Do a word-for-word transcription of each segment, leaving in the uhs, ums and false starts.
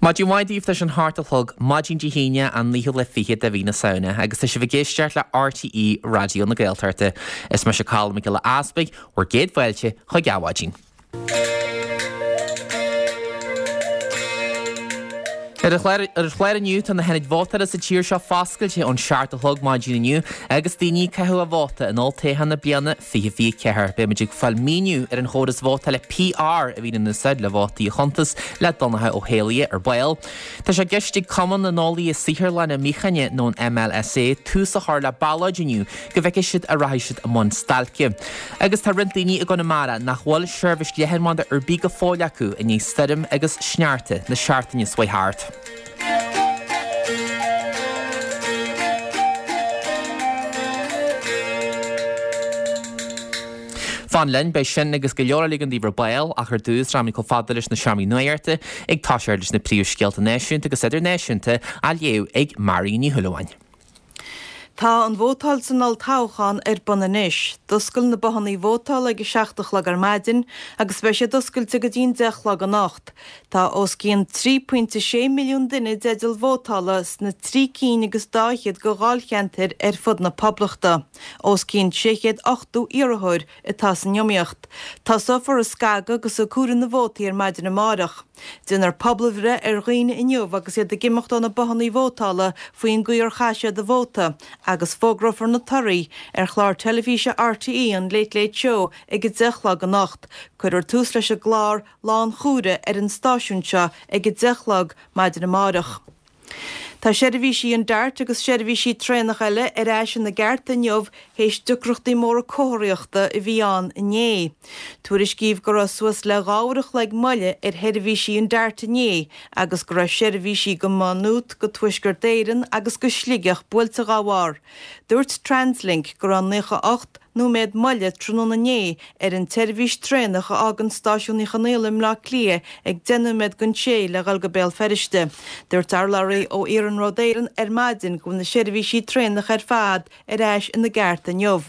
Maidin mhaith daoibh tá sé an hocht a chlog maidin Dé hAoine an naoú lá fichead de mhí na Samhna agus tá sibh ag éisteacht le RTÉ Raidió na Gaeltachta. Is mise Colm Mac Giolla Easpaig bhur gcéad fáilte chuig Adhmhaidin. Ar an chlár inniu tá na hionaid vótála sa tír seo foscailte ón seacht a chlog maidin inniu agus daoine ag caitheamh a vóta in olltoghchán na bliana fiche fiche ceathair. Beimid ag fáil míniú ar an chóras vótála PR a bhíonn in úsáid le vótaí a chuntas le Donncha Ó hÉallaithe ar ball. Tá sé i gceist ag Cumann na nEolaithe Saotharlainne Míochaine nó an MLSA tús a chur le ballóid inniu go bhfeicfidh siad an rachaidh siad i mbun stailce. Agus tá roinnt daoine i gConamara nach bhfuil seirbhís leathanbhanda ar bith go fóill acu i ndiaidh stoirm agus sneachta na seachtaine seo thart. Fan linn, beidh sin agus go leor eile againn daoibh ar ball, ach ar dtús rachaimid chomh fada leis na seomraí nuachta ag toiseacht leis na príomhscéalta náisiúnta agus idirnáisiúnta á léamh ag Marion Ní Shúilleabháin. Tá an vótáil san olltoghchán ar bun anois. D'oscail na bothannaí vótála ag a seacht a chlog ar maidin agus beidh siad oscailte go dtí an deich a chlog anocht. Tá os cionn trí pointe sé milliún duine i dteideal vótála sna trí cinn agus dá fhichead de dháilcheantair ar fud na Poblachta. Os cionn sé chéad ochtó iarrthóir atá san iomaíocht. Tosófar ag scagadh agus ag comhaireamh na vótaí ar maidin amárach. Déanfar pobalbhreith ar dhaoine inniu agus iad ag imeacht ó na bothannaí vótála faoin gcaoi ar chaith siad a vóta agus fógrófar na torthaí ar chlár teilifíse RTÉ an Late Late Show ag a deich a chlog anocht. Cuirfear tús leis an gclár lánchomhairimh ar an stáisiún seo ag a deich a chlog maidin amárach. Tá seirbhísí an Dart agus seirbhísí traenach eile ar ais ina gceart inniu théis deacrachtaí móra comharthaíochta a bhí ann inné. Tuairiscíodh go raibh suas le dhá uair a chloig moille ar sheirbhísí an Dart inné agus go raibh seirbhísí go Maigh Nuad, go Tuaisceart Éireann agus go Sligeach buailte dá bharr. Dúirt Translink go raibh naocha ocht nóiméad moille tráthnóna inné ar an tseirbhís traenach a fhágann Stáisiún Uí Chonaill i mBleá Cliath ag deich nóiméad don sé le dhul go Béal Feirste. Dúirt urlabhraí ó Iarnród Éireann ar maidin go bhfuil na seirbhísí traenach ar fad ar ais ina gceart inniu.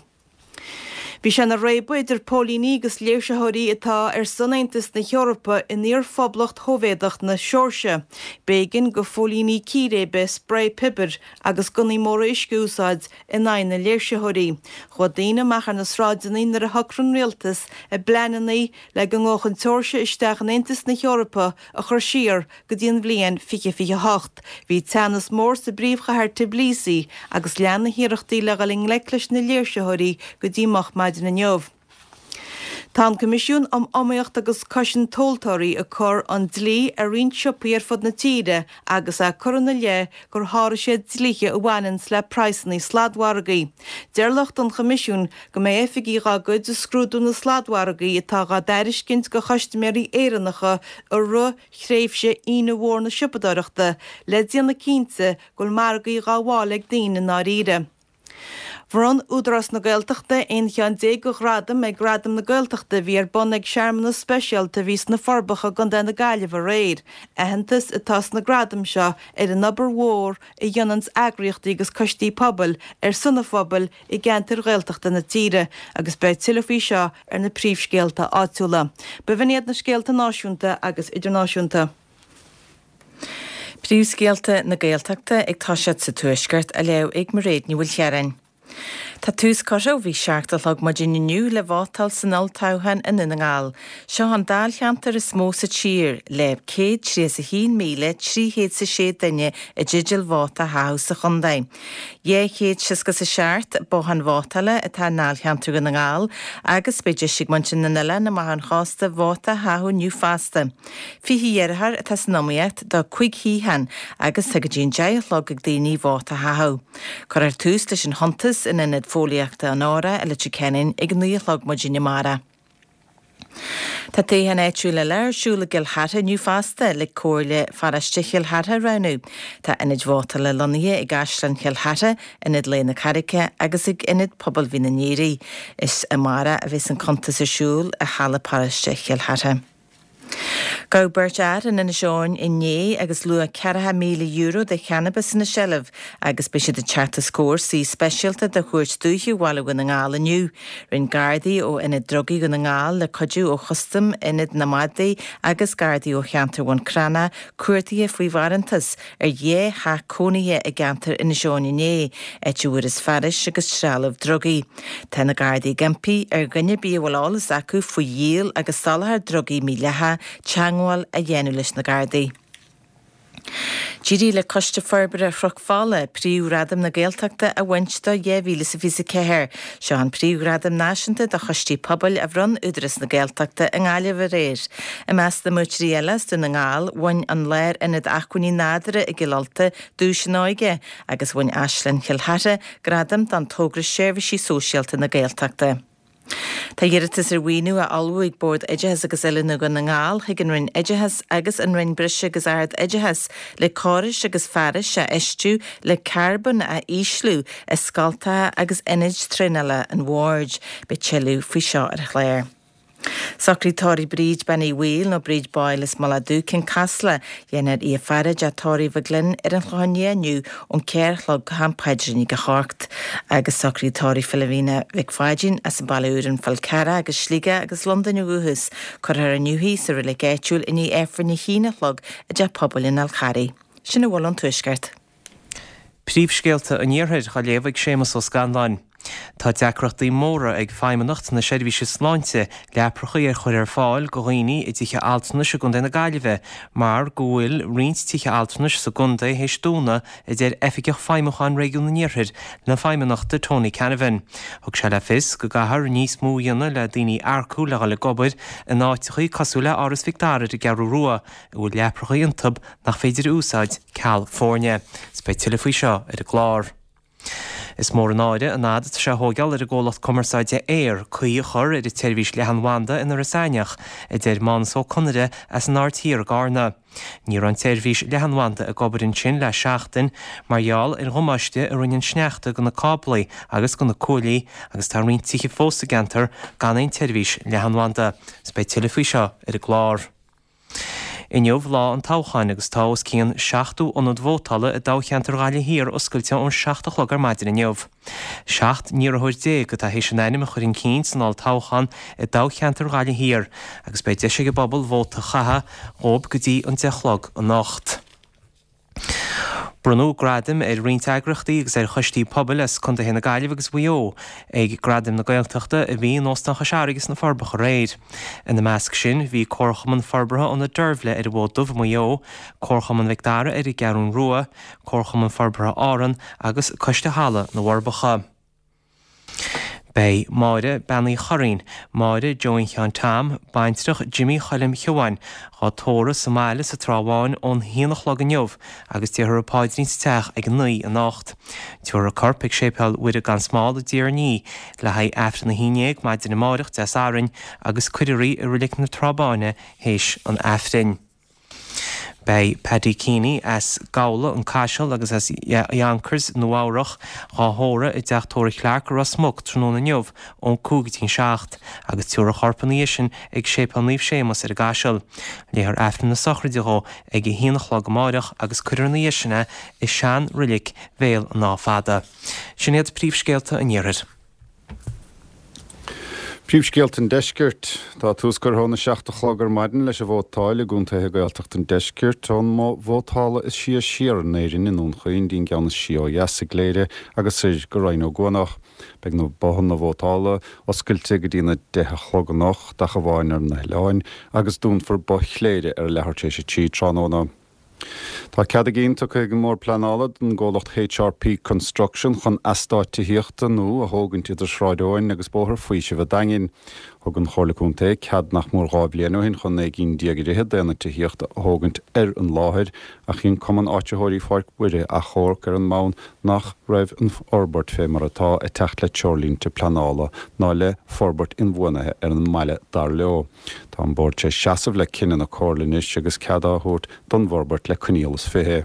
Bhí sé ina réabadh idir póilíní agus léirsitheoirí atá ar son Aontas na hEorpa in iar-phoblacht Shóivéadach na Seoirsia. B'éigean do phóilíní círéibe sprae piobair agus gunnaí móra uisce a úsáid in aghaidh na léirsitheoirí. Chuaigh daoine amach ar na sráideanna nuair a shocraigh an rialtas a bpleananna le go ngabhfadh an tSeoirsia isteach in Aontas na hEorpa a chur siar go dtí an bhliain fiche fiche hocht. Bhí teannas mór sa bpríomhchathair Tbilisi agus lean na hiarrachtaí le dhul i ngleic leis na léirsitheoirí go dtí moch maidin inniu. Tá an Coimisiún um Iomaíocht agus Cosaint Tomhaltóirí ag cur an dlí ar roinnt siopaí ar fud na tíre agus é ag cur ina leith gur sháraigh siad dlíthe a bhaineanns le praghsanna sladmhargaí. Deir lucht an Choimisiúin go mbeidh oifigigh dá gcuid ag scrúdú na sladmhargaí atá dhá dtairiscint do chustaiméirí Éireannacha i rith thréimhse Aoine Mhór na Siopadóireachta le déanamh cinnte go bhfuil margaí dhá bhfáil ag daoine i ndáiríre. Bhronn Údarás na Gaeltachta aon cheann déag de ghradaim ag Gradaim na Gaeltachta a bhí ar bun ag searmanas speisialta a bhí sna Forbacha i gContae na Gaillimhe aréir. Aitheantas atá sna gradaim seo ar an obair mhór a dhéananns eagraíochtaí agus coistí pobail ar son an phobail i gceantair Ghaeltachta na tíre agus beidh tuilleadh faoi seo ar na príomhscéalta áitiúla. B'in iad na scéalta náisiúnta agus idirnáisiúnta. Príomhscéalta na Gaeltachta ag toiseacht sa Tuaisceart á léamh ag Mairéad Ní Mhaoilchiaráin. Tá tús curtha ó bhí seacht a chlog maidin inniu le vótáil san olltoghchán i nDún na nGall. Seo an dáilcheantar is mó sa tír, le céad tríocha is a haon míle trí chéad is a sé duine i dteideal vóta a chaitheamh sa chontae. Dhá chéad seasca is a seacht bothán vótála atá i ndáilcheantar Dhún na nGall agus beidh deis ag muintir na n-oileán amach ón chósta vóta a chaitheamh inniu fosta. Fiche iarrthóir atá san iomaíocht do cúig shuíochán agus tá go dtí an deich a chlog ag daoine vóta a chaitheamh. Cuirfear tús leis an chuntas in Ionad Fóillíochta an Óra i Leitir Ceanainn ag naoi a chlog maidin amárach. Tá toghchán áitiúil eile ar siúl i gCill Chartha inniu fosta le Comhairle Pharóiste Chill Chartha a roghnú. Tá ionaid vótála lonnaithe i gCaisleán Chill Chartha, Ionad Lae na Carraice agus ag Ionad Pobail Mhín an Aoraigh. Is amárach a bheas an cuntas ar siúl i Halla Paróiste Chill Chartha. Gabhadh beirt fhear in Inis Eoghain inné agus luach ceathracha míle euro de channabas ina seilbh agus beidh siad ag teacht os comhair suí speisialta de Chúirt Dúiche Bhaile Dhún na nGall inniu. Rinne Gardaí ó Ionad Drugaí Dhún na nGall le cuidiú ó Chustam Ionad na Madaí agus Gardaí ó cheantar Bhun Cranncha cuardaithe faoi bharántas ar dhá theach cónaithe i gceantar Inis Eoghain inné, áit a bhfuarthas fearais agus trealamh drugaí. Tá na Gardaí ag impí ar dhuine ar bith a bhfuil eolas acu faoi dhíol agus soláthar drugaí mídhleathach teagmháil a dhéanamh leis na Gardaí. D'éirigh le Coiste Forbartha Chnoc Fola príomhghradam na Gaeltachta a bhaint do dhá mhíle is a fiche a ceathair. Seo an príomhghradam náisiúnta do choistí pobail a bhronn Údarás na Gaeltachta i nGaillimh aréir. I measc na mbuaiteoirí eile as Dún na nGall, bhain an Lárionad Acmhainní Nádúrtha i gCill Ulta duais an óige agus bhain Áislann Chill Chartha gradam don togra Seirbhísí Sóisialta na Gaeltachta. Tá iarratas ar mhaoiniú á ullmhú ag Bord Oideachais agus Oiliúna Dhún na nGall chuig an Roinn Oideachais agus an Roinn Breise agus Ard-Oideachais le córais agus fearais a fheistiú le carbón a ísliú i scoltacha agus ionaid traenála an Bhoird. Beidh tuilleadh faoi seo ar an chlár. Socraid tórraimh Bríd Bean Uí Bhaoill nó Bríd Boyle as Mullach Dubh, Cionn Caslach, dhéanfar í a fhaire i dteach tórraimh Mhaigh Gloinn ar an Chlochán Liath inniu ón ceathair a chlog go ham paidrín ag a hocht. Agus socraid tórraimh Philomena Mhic Pháidín as an Baile Úr, An Fál Carrach agus Sligeach agus Londain ó dhúchas, cuirfear inniu í sa reilig áitiúil i ndiaidh Aifreann a haon a chlog i dteach pobail an Fháil Charraigh. Sin a bhfuil ón Tuaisceart. Príomhscéalta an Iarthair á léamh ag Séamus Ó Scanláin. Tá deacrachtaí móra ag Feidhmeannacht na Seirbhíse Sláinte leaprachaí a chur ar fáil go dhaoine i dtithe altranais i gContae na Gaillimhe mar go bhfuil roinnt tithe altranais sa gcontae théis dúnadh, a deir Oifigeach Feidhmiúcháin Réigiún an Iarthair na Feidhmeannachta Tony Canavan. Thug sé le fios go gcaithfear níos mó a dhéanamh le daoine a earcú le dhul ag obair in áiteachaí cosúil le Áras Mhic Dara ar an gCeathrú Rua, a bhfuil leaprachaí iontu nach féidir a úsáid ceal foirne. Is beidh tuilleadh faoi seo ar an gclár. Is mór an náire an fhad atá sé a thógáil ar an gcomhlacht cumarsáide Eir caoi a chur ar an tseirbhís leathanbhanda in Iorras Aithneach, a deir Mánas Ó Conaire as an Aird Thiar i gCarna. Ní raibh an tseirbhís leathanbhanda ag obair ansin le seachtain mar gheall ar dhamáiste a rinne an sneachta go na cáblaí agus go na cuaillí agus tá roinnt tithe fós sa gceantar gan aon tseirbhís leathanbhanda. Is beidh tuilleadh faoi seo ar an gclár. Inniu lá an toghcháin agus tá os cionn seachtó ionad vótála i dtoghcheantar Ghaillimh Thiar oscailte ón seacht a chlog ar maidin inniu. Seacht n-iarrthóir déag atá théis a n-ainm a chur chun cinn san olltoghchán i dtoghcheantar Ghaillimh Thiar agus beidh deis ag an bpobal vóta a chaitheamh dhóibh go dtí an deich a chlog anocht. Bronnadh gradaim ar roinnt eagraíochtaí agus ar choistí pobail as contaetha na Gaillimhe agus Mhaigh Eo ag Gradaim na Gaeltachta a bhí in Óstán Chois Fharraige sna Forbacha aréir. Ina measc sin bhí Comharchumann Forbartha Ionad Deirbhle ar an bhFód Dubh i Maigh Eo, Comharchumann Mhic Dara ar an gCeathrún Rua, Comharchumann Forbartha Árann agus Coiste Halla na bhForbacha. Beidh Máire Bean Uí Churraoin, Máire Joe Sheáin Tom, baintreach Jimmy Choilm Shiobháin, dhá tórramh sa mbaile sa Trá Bháin ón haon a chlog inniu agus déarfar an paidrín sa teach ag a naoi anocht. Tabharfar a corp ag Séipéal Mhuire gan Smál i dTír an Fhia le haghaidh Aifreann a haon déag maidin amáireach Dé Sathairn agus cuirfear í i Reilig na Trá Báine théis an Aifrinn. Beidh Paddy Keeney as Gabhla, An Caiseal agus as Yonkers, Nua Eabhrach, dhá thórramh i dteach tórraimh Clarke i Ros Muc tráthnóna inniu ón cúig go dtí an seacht, agus tabharfar a chorp ina dhiaidh sin ag Séipéal Naomh Séamus ar an gCaiseal. Léifear Aifreann na sochraide dhó ag a haon a chlog amáireach agus cuirfear ina dhiaidh sin é i sean-reilig Bhéal an Átha Fada. Sin iad príomhscéalta an Iarthair. Príomhscéalta an Deiscirt. Tá tús curtha óna seacht a chlog ar maidin leis an vótáil i gcontaetha Gaeltachta an Deiscirt, ón mboth vótála is sia siar in Éirinn i nDún Chaoin dtí'n gceann is sia ó dheas i gCléire agus soir go Rinn Ó gCuanach. Beidh na bothanna vótála oscailte go dtína deich a chlog anocht ach amháin ar na hoileáin agus dúnfar both Chléire ar a leathuair tar éis a trí tráthnóna. Tá cead a gcinn tugtha ag an mBord Pleanála don gcomhlacht HRP Construction chun eastát tithíochta nua a thógaint idir Sráid Eoin agus Bóthar Faoisimh an Daingin. Thug an Chomhairle Contae cead nach mór dhá bhliain ó shin chun naoi gcinn déag i rith d'aonaid tithíochta a thógaint ar an láthair ach chinn Cumann Áititheoirí Pháirc Mhuire achomharc ar an mbonn nach raibh an fhorbairt fé mar atá ag teacht le treoirlínte pleanála ná le forbairt inbhuanaithe ar an mbaile dar leo. Tá an Bord tar éis seasamh le cinneadh na Comhairle anois agus cead á thabhairt don bhforbairt le coinníoll is fiche.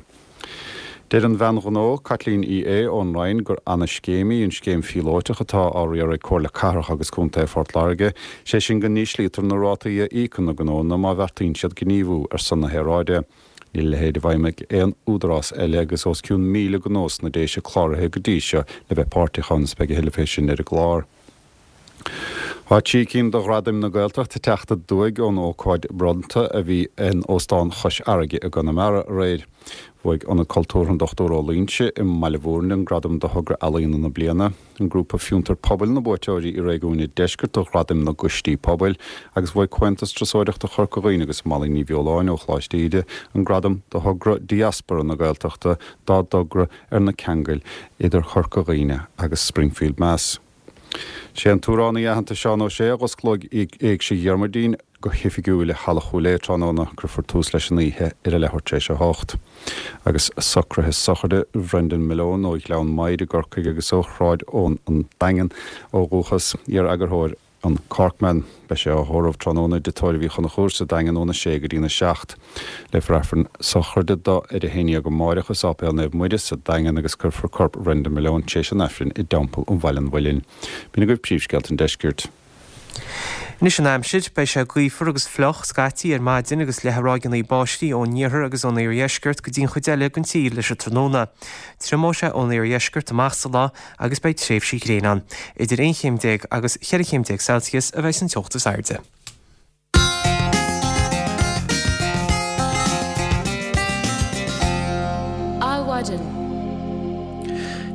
Deir an bhean ghnó, Caitlín Uí Aodha ón Rinn gur ana-scéim í an scéim phíolótach atá á riar ag Comhairle Cathrach agus Contae Phort Láirge, sé sin go n-íslítear na rátaí a íocann na gnónna má bheartaíonn siad gníomhú ar son na haeráide. Níl a leithéid i bhfeidhm ag aon údarás eile agus os cionn míle gnó sna Déise cláraithe go dtí seo le bheith páirteach ann is beidh a thuilleadh fé sin ar an gclár. Tá trí cinn de Ghradaim na Gaeltachta ag teacht aduaidh ón ócáid bronnta a bhí in Óstán Chois Fharraige i gConamara aréir. Bhuaigh Ionad Cultúrtha an Dochtúir Ó Loingsigh i mBaile Bhúirne an gradam do Thogra Ealaíona na Bliana, an grúpa Fiontar Pobail na buaiteoirí i réigiún an Deiscirt do Ghradaim na gCoistí Pobail agus bhuaigh Comhaontas Turasóireachta Chorca Dhuibhne agus Molly Ní Bheoláin ó Choláiste Íde an gradam do Thogra Diaspora na Gaeltachta dá dtogra ar na ceangail idir Chorca Dhuibhne agus Springfield, Mass. Sé an t-amhránaí aitheanta Seán Ó Sé a dh'osclóidh Éigse Dhiarmuidín go hoifigiúil i Halla Chúil Aodha tráthnóna. Cuirfear tús leis an oíche ar a leathuair tar éis a hocht. Agus socruithe sochraide Bhrendan Malone ó Ghleann Maghair i gCorcaigh agus ó Shráid Eoin an Daingean ó dhúchas, iar-eagarthóir an Corkman. Beidh sé á thórramh tráthnóna i dTigh Tórraimh Uí Chonchúir sa Daingean óna sé go dtína seacht. Léifear Aifreann sochraide dó ar a haon dhéag amáireach i Sáipéal Naomh Muire sa Daingean agus cuirfear corp Bhrendan Malone tar éis an Aifrinn i dTeampall an Bhaile an Mhuilinn. B'in agaibh príomhscéalta an deiscirt. Anois an aimsir, beidh sé gaofar agus fliuch scaití ar maidin agus leathfaidh ráigeanna báistí ón iarthar agus ón iardheisceart go dtí an chuid eile den tír leis an tráthnóna. Triomóidh sé ón iardheisceart amach sa lá agus beidh tréimhsí gréine ann. Idir aon chéim déag agus cheithre chéim déag Celsius a bheidh an teocht is airde. Adhmhaidin.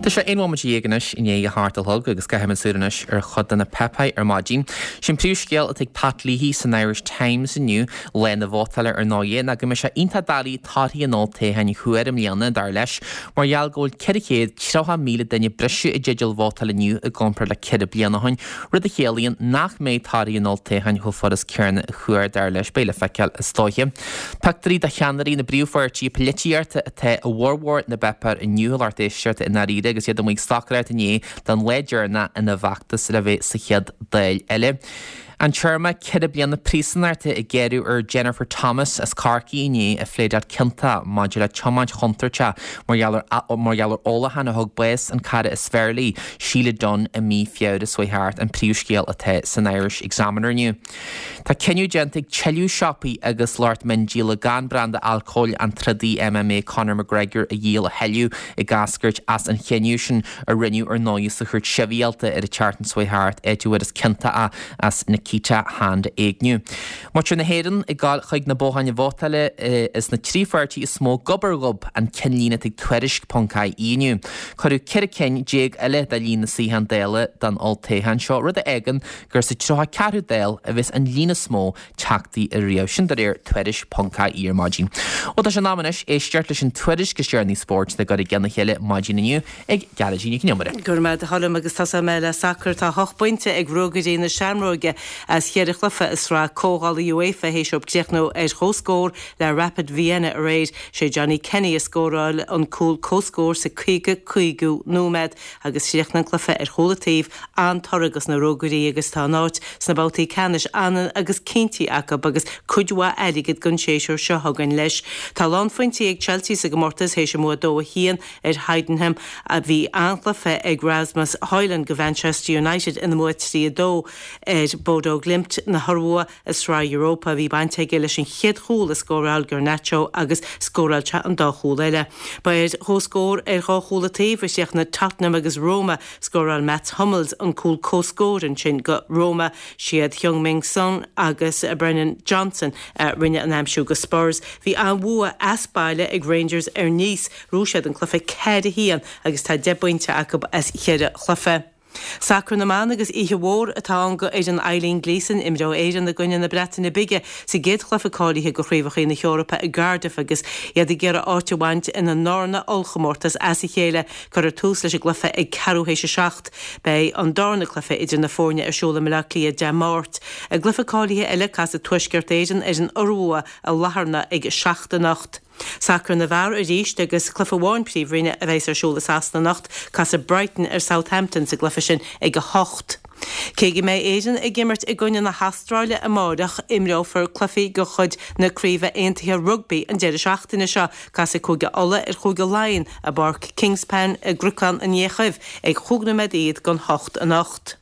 Tá sé aon bhomaite dhéag anois i ndiaidh a hocht a chlog agus caithfimid súil anois ar chuid de na páipéir ar maidin. Sin príomhscéal atá ag Pat Leahy san Irish Times inniu, lá na vótála ar ndóigh, ná go mbeidh sé iontach doiligh torthaí an olltoghcháin a thuar i mbliana, dar leis, mar gheall go bhfuil ceithre chéad tríocha míle duine breise i dteideal vótáil inniu i gcomparáid le ceithre bliana ó shin, rud a chiallaíonn nach mbeidh torthaí an olltoghcháin chomh furast céanna a thuar, dar leis. Beidh le feiceáil is dóiche. Pictiúirí de cheannairí na bpríomhpháirtithe polaitíochta atá i bhformhór na bpáipéar inniu, a lucht éisteachta, i ndáiríre agus iad amuigh ag stocaireacht inné don lá deireanach ina bhfeachtas le bheith sa chéad Dáil eile. An téarma ceithre bliana príosúnachta a gearradh ar Jennifer Thomas as Corcaigh inné a phléadáil ciontach maidir le tiomáint chontúirteach mar gheall ar mar gheall ar ólachán a thug bás an cara is fearr léi, Sheila Dunne i mí Feabhra seo thart, an príomhscéal atá san Irish Examiner inniu. Tá cinneadh déanta ag tuilleadh siopaí agus lucht miondíola gan branda alcóil an trodaí M M A Conor McGregor a dhíol a thuilleadh ag eascairt as an chinneadh sin a rinneadh ar ndóigh sa chúirt sibhialta ar an tseachtain seo thart, áit a bhfuarthas ciontach é as Nikita Hand a éigniú. Muintir na hÉireann ag gabháil chuig na botháin vótála is na trí pháirtí is mó gob ar ghob an cinnlíne atá ag Tuairisc ponc I E inniu. Cuireadh ceithre cinn déag eile de líon na suíochán Dála don olltoghchán seo, rud a fhágann gur sa tríocha ceathrú Dáil a bheas an líon is mó teachtaí ariamh. Sin de réir Tuairisc ponc I E ar maidin. Ó tá sé in am anois éisteacht leis an tuairisc is deireanaí spóirt le gcur i gcionn a chéile maidin inniu ag Gearóidín Nic an Iomaire. Go raibh maith agat a Choilm agus tosóidh mé le sacar. Tá ocht bpointe ag Ruagairí na Seamróige as cheithre chluiche i sraith comhdhála UEFA théis dóibh críochnú ar chomhscór le Rapid Vienna aréir. Sé Johnny Kenny a scóráil an cúl comhscóir sa caoga cúigiú nóiméad agus chríochnaigh an cluiche ar chúl an taobh. An-toradh dos na Ruagairí agus tá a n-áit sna babhtaí ceannais ionann agus cinntithe acu agus cuid mhaith airgid don séasúr seo chugainn leis. Tá lánphointí ag Chelsea sa gcomórtas théis a mbua dó a haon ar Heidenheim. Bhí an-chluiche ag Rasmus Højlund do Mhanchester United ina mbua trí a dó ar Bodo Glimt na hIorua i Sraith Europa. Bhí baint aige leis an chéad chúl a scóráil Garnacho agus scóráil sé an dá chúl eile. Ba ar chomhscór ar dhá chúl an taobh a chríochnaigh Tottenham agus Roma. Scóráil Mats Hummels an cúl comhscóir ansin do Roma. Siad Heung-min Son agus Brennan Johnson a rinne an aimsiú do Spurs. Bhí an-bhua as baile ag Rangers ar Nice. Bhuaigh siad an cluiche ceathair a haon agus tá deich bpointe acu as cheithre chluiche. Sacar na mban agus oíche mhór atá ann do fhoireann Eileen Gleeson, imreoidh Éirinn i gcoinne na Breataine Bige sa gcéad chluiche cáilithe do Chraobhacha na hEorpa i gCardiff agus iad ag iarraidh áit a bhaint ina ndarna ollchomórtas as a chéile. Cuirfear tús leis an gcluiche ag ceathrú théis a seacht. Beidh an darna cluiche idir na foirne ar siúl i mBaile Átha Cliath Dé Máirt. I gcluiche cáilithe eile, casfaidh Tuaisceart Éireann ar an Iorua i Latharna ag a seacht anocht. Sacar na bhfear arís agus cluiche amháin Príomhroinne a bheas ar siúl i Sasana anocht. Casfaidh Brighton ar Southampton sa gcluiche sin ag a hocht. Cé go mbeidh Éirinn ag imirt i gcoinne na hAstráile amárach, imreofar cluichí de chuid na Craoibhe Aontaithe Rugbaí an deireadh seachtaine seo. Casfaidh Cúige Uladh ar Chúige Laighean i bPáirc Kingspan i gCnocán an Fhiachaibh ag chúig nóiméad don hocht anocht.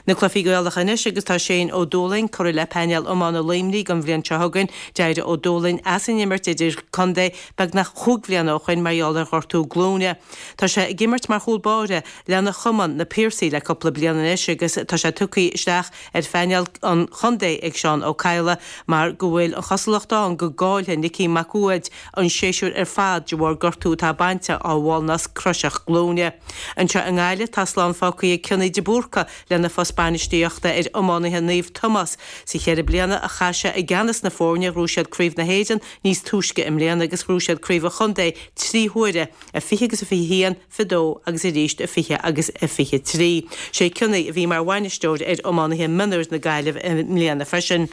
Na cluichí Gaelacha anois agus tá Shane Ó Dúlaing curtha le painéal iomána Luimnigh don bhliain seo chugainn. D'éirigh Ó Dúlaing as an imirt idirchontae beagnach cúig bliana ó shin mar gheall ar ghortú glúine. Tá sé ag imirt mar chúl báire lena chumann, Na Piarsaigh, le cúpla bliain anois agus tá sé tugtha isteach ar phainéal an chontae ag Seán Ó Cadhla mar go bhfuil an chosúlacht ann go gcaillfidh Nicky Mac Uaid an séasúr ar fad de bharr gortú atá bainte á mháilnasc croiseach glúine. Anseo i nGaillimh tá slán fágtha ag Cionnaith de Búrca lena phost bainistíochta ar iománaithe Naomh Tomás. Sa cheithre bliana a chaith sé i gceannas na foirne ghnóthaigh siad Craobh na hÉireann níos túisce i mbliana agus ghnóthaigh siad Craobh an Chontae trí huaire, i fiche agus a fiche haon, fiche dó agus arís i fiche agus a fiche trí. Sé Cionnaith a bhí mar bhainisteoir ar iománaithe mionúir na Gaillimhe i mbliana freisin.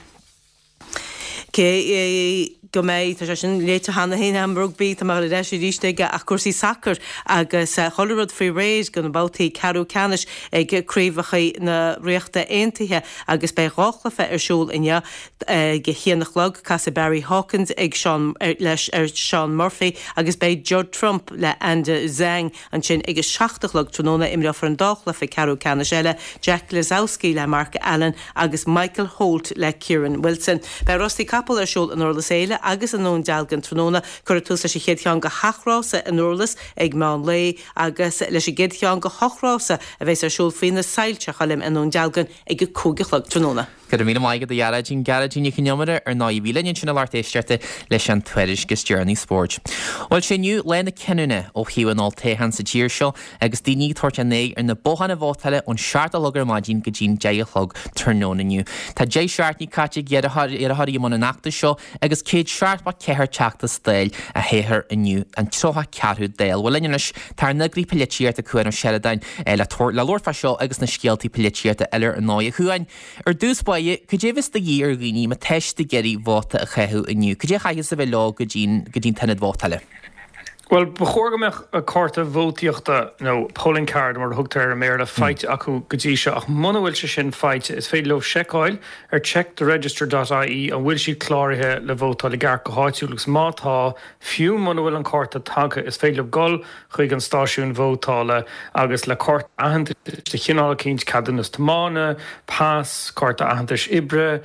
Cé go mbeidh, tá sé sin léite cheana féin agam, rugbaí, tá mé ar ais arís aige ach cúrsaí sacair agus chuile rud faoi réir do na babhtaí ceathrú ceannais ag craobhacha na Ríochta Aontaithe agus beidh dhá chluiche ar siúl inniu ag a haon a chlog, casfaidh Barry Hawkins ag Sean leis ar Sean Murphy agus beidh Judd Trump le Anda Zhang ansin ag a seacht a chlog tráthnóna. Imreofar an dá chluiche ceathrú ceannais eile, Jack Lisowski le Mark Allen agus Michael Holt le Kyren Wilson. Beidh rásaí capall ar siúl in Durlas Éile agus i nDún Dealgan tráthnóna. Cuirfear tús leis an chéad cheann de sheacht rása i nDurlas ag meán lae agus leis an gcéad cheann de hocht rása a bheas ar siúl faoi na soilse, a Choilm, i nDún Dealgan ag a cúig a chlog tráthnóna. Go raibh míle maith agat a Ghearóidín, Gearóidín Nic Con Iomaire ar ndóigh a bhí linn ansin a lucht éisteachta leis an tuairisc is deireanaí spóirt. Bhuel sé inniu lá na cinniúna ó thaobh an olltoghcháin sa tír seo agus daoine ag tabhairt a n-aghaidh ar na bothanna vótála ón seacht a chlog ar maidin go dtí'n deich a chlog tráthnóna inniu. Tá deich seachtainí caite ag iarrthóirí i mbun an fheachtais seo agus céad seachtó ceathair Teachta Dála á thoghadh inniu, an tríocha ceathrú Dáil. Bhuel linn anois tá ár n-eagraí polaitíochta Cuan Ó Seireadáin le le labhairt fá seo agus na scéaltaí polaitíochta eile ar ndóigh. A Chuain, ar dtús báire, cad é bheas de dhíth ar dhaoine má tá siad ag iarraidh vóta a chaitheamh inniu? Cad é a chaithfeas a bheith leo go dtí'n go dtí'n t-ionad vótála? Bhuel, ba chóir go mbeadh cárta vótaíochta, nó polling card mar a thugtar air i mBéarla, faighte acu go dtí seo, ach muna bhfuil sé sin faighte, is féidir leo seiceáil ar checktheregister dot ie an bhfuil siad cláraithe le vótáil i gceart go háitiúil agus má tá, fiú muna bhfuil an cárta tagtha, is féidir leo dul chuig an stáisiún vótála agus le cárta aitheantais de chineál eicínt, ceadúnas tiomána, pas, cárta aitheantais oibre,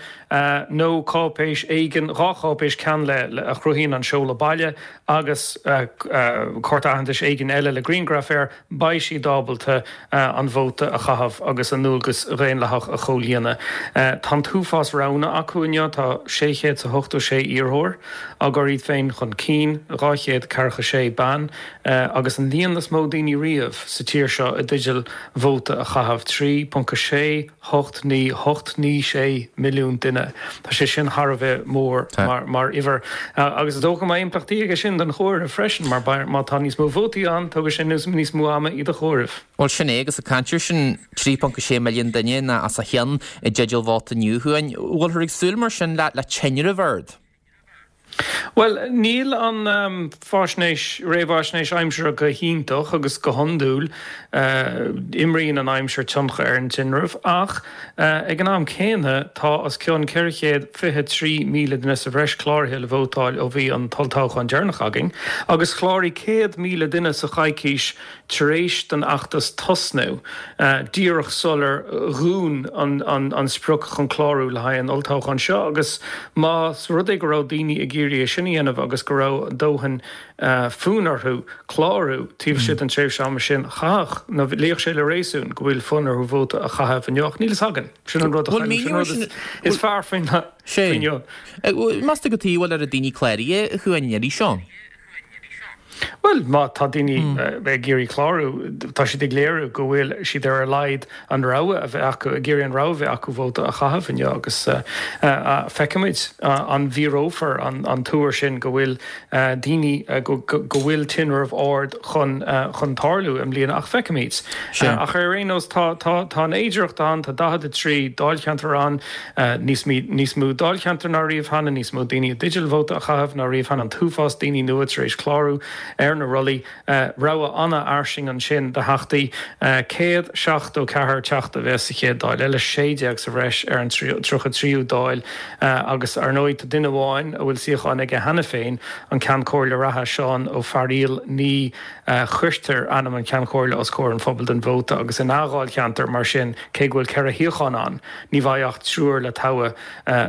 nó cáipéis éigin, dhá cháipéis, ceann le a chruthaíonn an seoladh baile agus cárta aitheantais éigin eile le grianghraf air, beidh siad ábalta an vóta a chaitheamh agus a ndualgas dhaonlathach a chomhlíonadh. Tá an t-uafás roghanna acu inniu, tá sé chéad 's a hochtó sé iarrthóir á gcur iad féin chun cinn, dhá chéad ceathracha sé bean, agus an líon is mó daoine riamh sa tír seo i dteideal vóta a chaitheamh, trí ponc a sé hocht naoi hocht naoi sé milliún duine. Tá sé sin thar a bheith mór mar uimhir. Agus is dócha go mbeidh impleachtaí aige sin don chomhaireamh freisin, mar má tá níos mó vótaí ann, tógfaidh sé níos mó ama iad a chomhaireamh. Bhuel, sin é, agus ag caint air sin, trí ponc a sé milliún duine nó os a chionn i dteideal vóta inniu, a Chuain. Bhfuilthear ag súil mar sin le tinreamh ard? Bhuel, níl an fáisnéis, réamhaisnéis aimsire go hiontach agus go hiondúil imríonn an aimsir tionchar ar an tinreamh ach ag an am céanna tá os cionn ceithre chéad fiche trí míle duine sa bhreis cláraithe le vótáil ó bhí an t-olltoghchán deireanach againn agus chláraigh céad míle duine sa choicís tar éis don fheachtas tosnú, díreach sular dhún an sprioc chun clárú le haghaidh an olltoghcháin seo agus más rud é go raibh daoine ag iarraidh é sin a dhéanamh agus go raibh dóthain fonn orthu clárú taobh istigh den tréimhse ama sin, chaithfeadh, nó luífeadh sé le réasún go bhfuil fonn orthu vóta a chaitheamh inniu. Ach níl fhios againn. Sin an rud a chaill, sin an rud is fearr faoin inniu. Meas tú cad chuige a bhfuil oiread daoine cláraithe, a Chuain, an iarraidh seo? Bhuel, má tá daoine ag iarraidh clárú, tá siad ag léiriú go bhfuil siad ar a laghad an rogha a bheith acu, ag iarraidh an rogha a bheith acu vóta a chaitheamh inniu agus feicfimid an bhfíorófar an tuar sin go bhfuil daoine, go bhfuil tinreamh ard chun chun tarlú i mbliana ach feicfimid. Ach ar aon nós tá tá tá an fhéidearthacht ann, tá daichead a trí dáilcheantar ann, níos níos mó dáilcheantar ná riamh cheana, níos mó daoine i dteideal vóta a chaitheamh ná riamh cheana, an t-uafás daoine nua tar éis clárú ar ar na rollaí. Rogha an-fhairsing ansin de theachtaí, céad seachtó ceathair teachta a bheas sa chéad Dáil eile, sé déag sa bhreis ar an tríocha tríú Dáil agus ar ndóigh tá duine amháin a bhfuil suíochán aige cheana féin, an Ceann Comhairle reatha Seán Ó Fearaíl. Ní chuirtear ainm an Cheann Comhairle os comhair an phobail don vóta agus ina dháilcheantar mar sin cé go bhfuil ceithre shuíochán ann, ní bheidh ach triúr le toghadh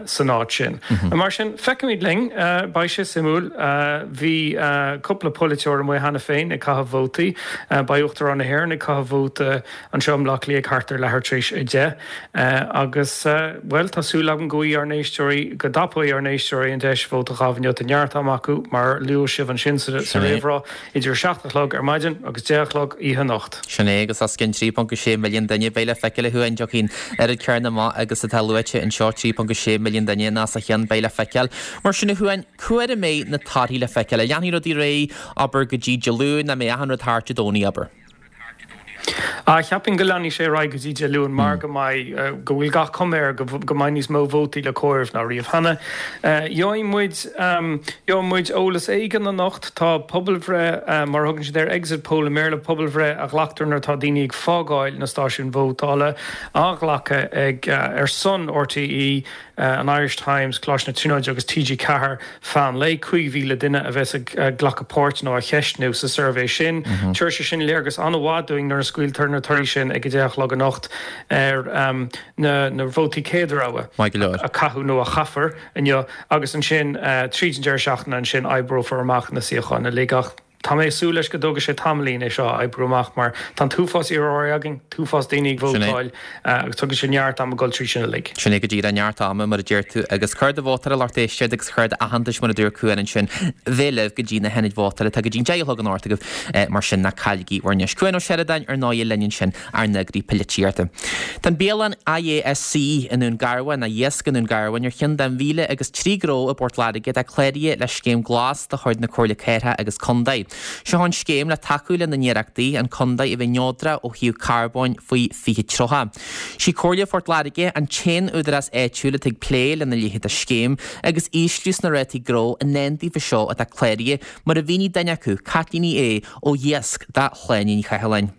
san áit sin. Mar sin, feicfimid linn, beidh sé suimiúil. Bhí cúpla polaiteoir amuigh cheana féin ag caitheamh vótaí. Beidh Uachtarán na hÉireann ag caitheamh vóta anseo i mBleá Cliath thart ar leathuair tar éis a deich agus, bhuel, tá súil agam go bhfaighidh ár n-éisteoirí, go dtapóidh ár n-éisteoirí an deis vóta a chaitheamh inniu. Tá neart ama acu, mar a luaigh sibh ansin sa réamhrá, idir a seacht a chlog ar maidin agus deich a chlog oíche anocht. Sin é, agus os cionn trí ponc sé milliún duine, beidh le feiceáil a Chuain, an dtiocfaidh an oiread céanna amach agus atá luaite anseo, trí ponc sé milliún duine nó os a chionn, beidh le feiceáil. Mar sin a Chuain, cá huair a mbeidh na torthaí le feiceáil? An leanfaidh rudaí ar aghaidh, abair, go dtí Dé Luain, an mbeidh achan rud thart Dé Domhnaigh, abair? Ah, cheapfainn go leanfaidh sé ar aghaidh go dtí Dé Luain mar go mbeidh, go bhfuil gach cuma air go mbeidh níos mó vótaí le comhaireamh ná riamh cheana. Gheobhaidh muid, gheobhaidh muid eolas éigin anocht. Tá pobalbhreith, mar a thugann siad air, exit poll i mBéarla, pobalbhreith a ghlactar nuair atá daoine ag fágáil na stáisiún vótála, á ghlacadh ag, ar son RTÉ, an Irish Times, Coláiste na Tríonóide agus T G ceathair feadh an lae. Cúig mhíle duine a bheas ag glacadh páirt nó á cheistniú sa suirbhé sin. Tabharfaidh sé sin léargas an-mhaith dúinn nuair a scaoiltear na torthaí sin ag a deich a chlog anocht ar na vótaí céad rogha a caitheadh nó a chaithfear inniu agus ansin tríd an deireadh seachtaine ansin oibreofar amach na suíocháin uilig ach Tá mé ag súil leis go dtógfaidh sé tamaillín é seo a oibriú amach mar tá an t-uafás iarrthóirí againn, t-uafás daoine ag vótáil agus tógfaidh sé neart ama dul trí sin uilig. Sin é go díreach, neart ama mar a deir tú agus cárta vótála lucht éisteachta agus cárta aitheantais mar a dúirt Cuan ansin, bheith libh go dtí na hionaid vótála. Tá go dtí an deich a chlog anocht agaibh mar sin ná cailligí bhur ndeis. Cuan Ó Seireadáin ar ndóigh linn ansin ár n-eagraí polaitíochta. Tá an bialann I A S C i nDún Garbhán, nó Iasc i nDún Garbhán, ar cheann den mhíle agus trí gnó i bPort Láirge atá cláraithe le Scéim Glas de chuid na Comhairle Cathrach agus Contae. Seo an scéim le tacú lena n-iarrachtaí an contae a bheith neodrach ó thaobh carbóin faoi fiche tríocha. Sí Comhairle Phort Láirge an t-aon údarás áitiúil atá ag plé lena leithéid de scéim agus ísliú sna rátaí gnó i ndán daofa seo atá cláraithe, mar a mhínigh duine acu, Caitlín Ní Aodha ó Iasc do Shláine Ní Chathalláin.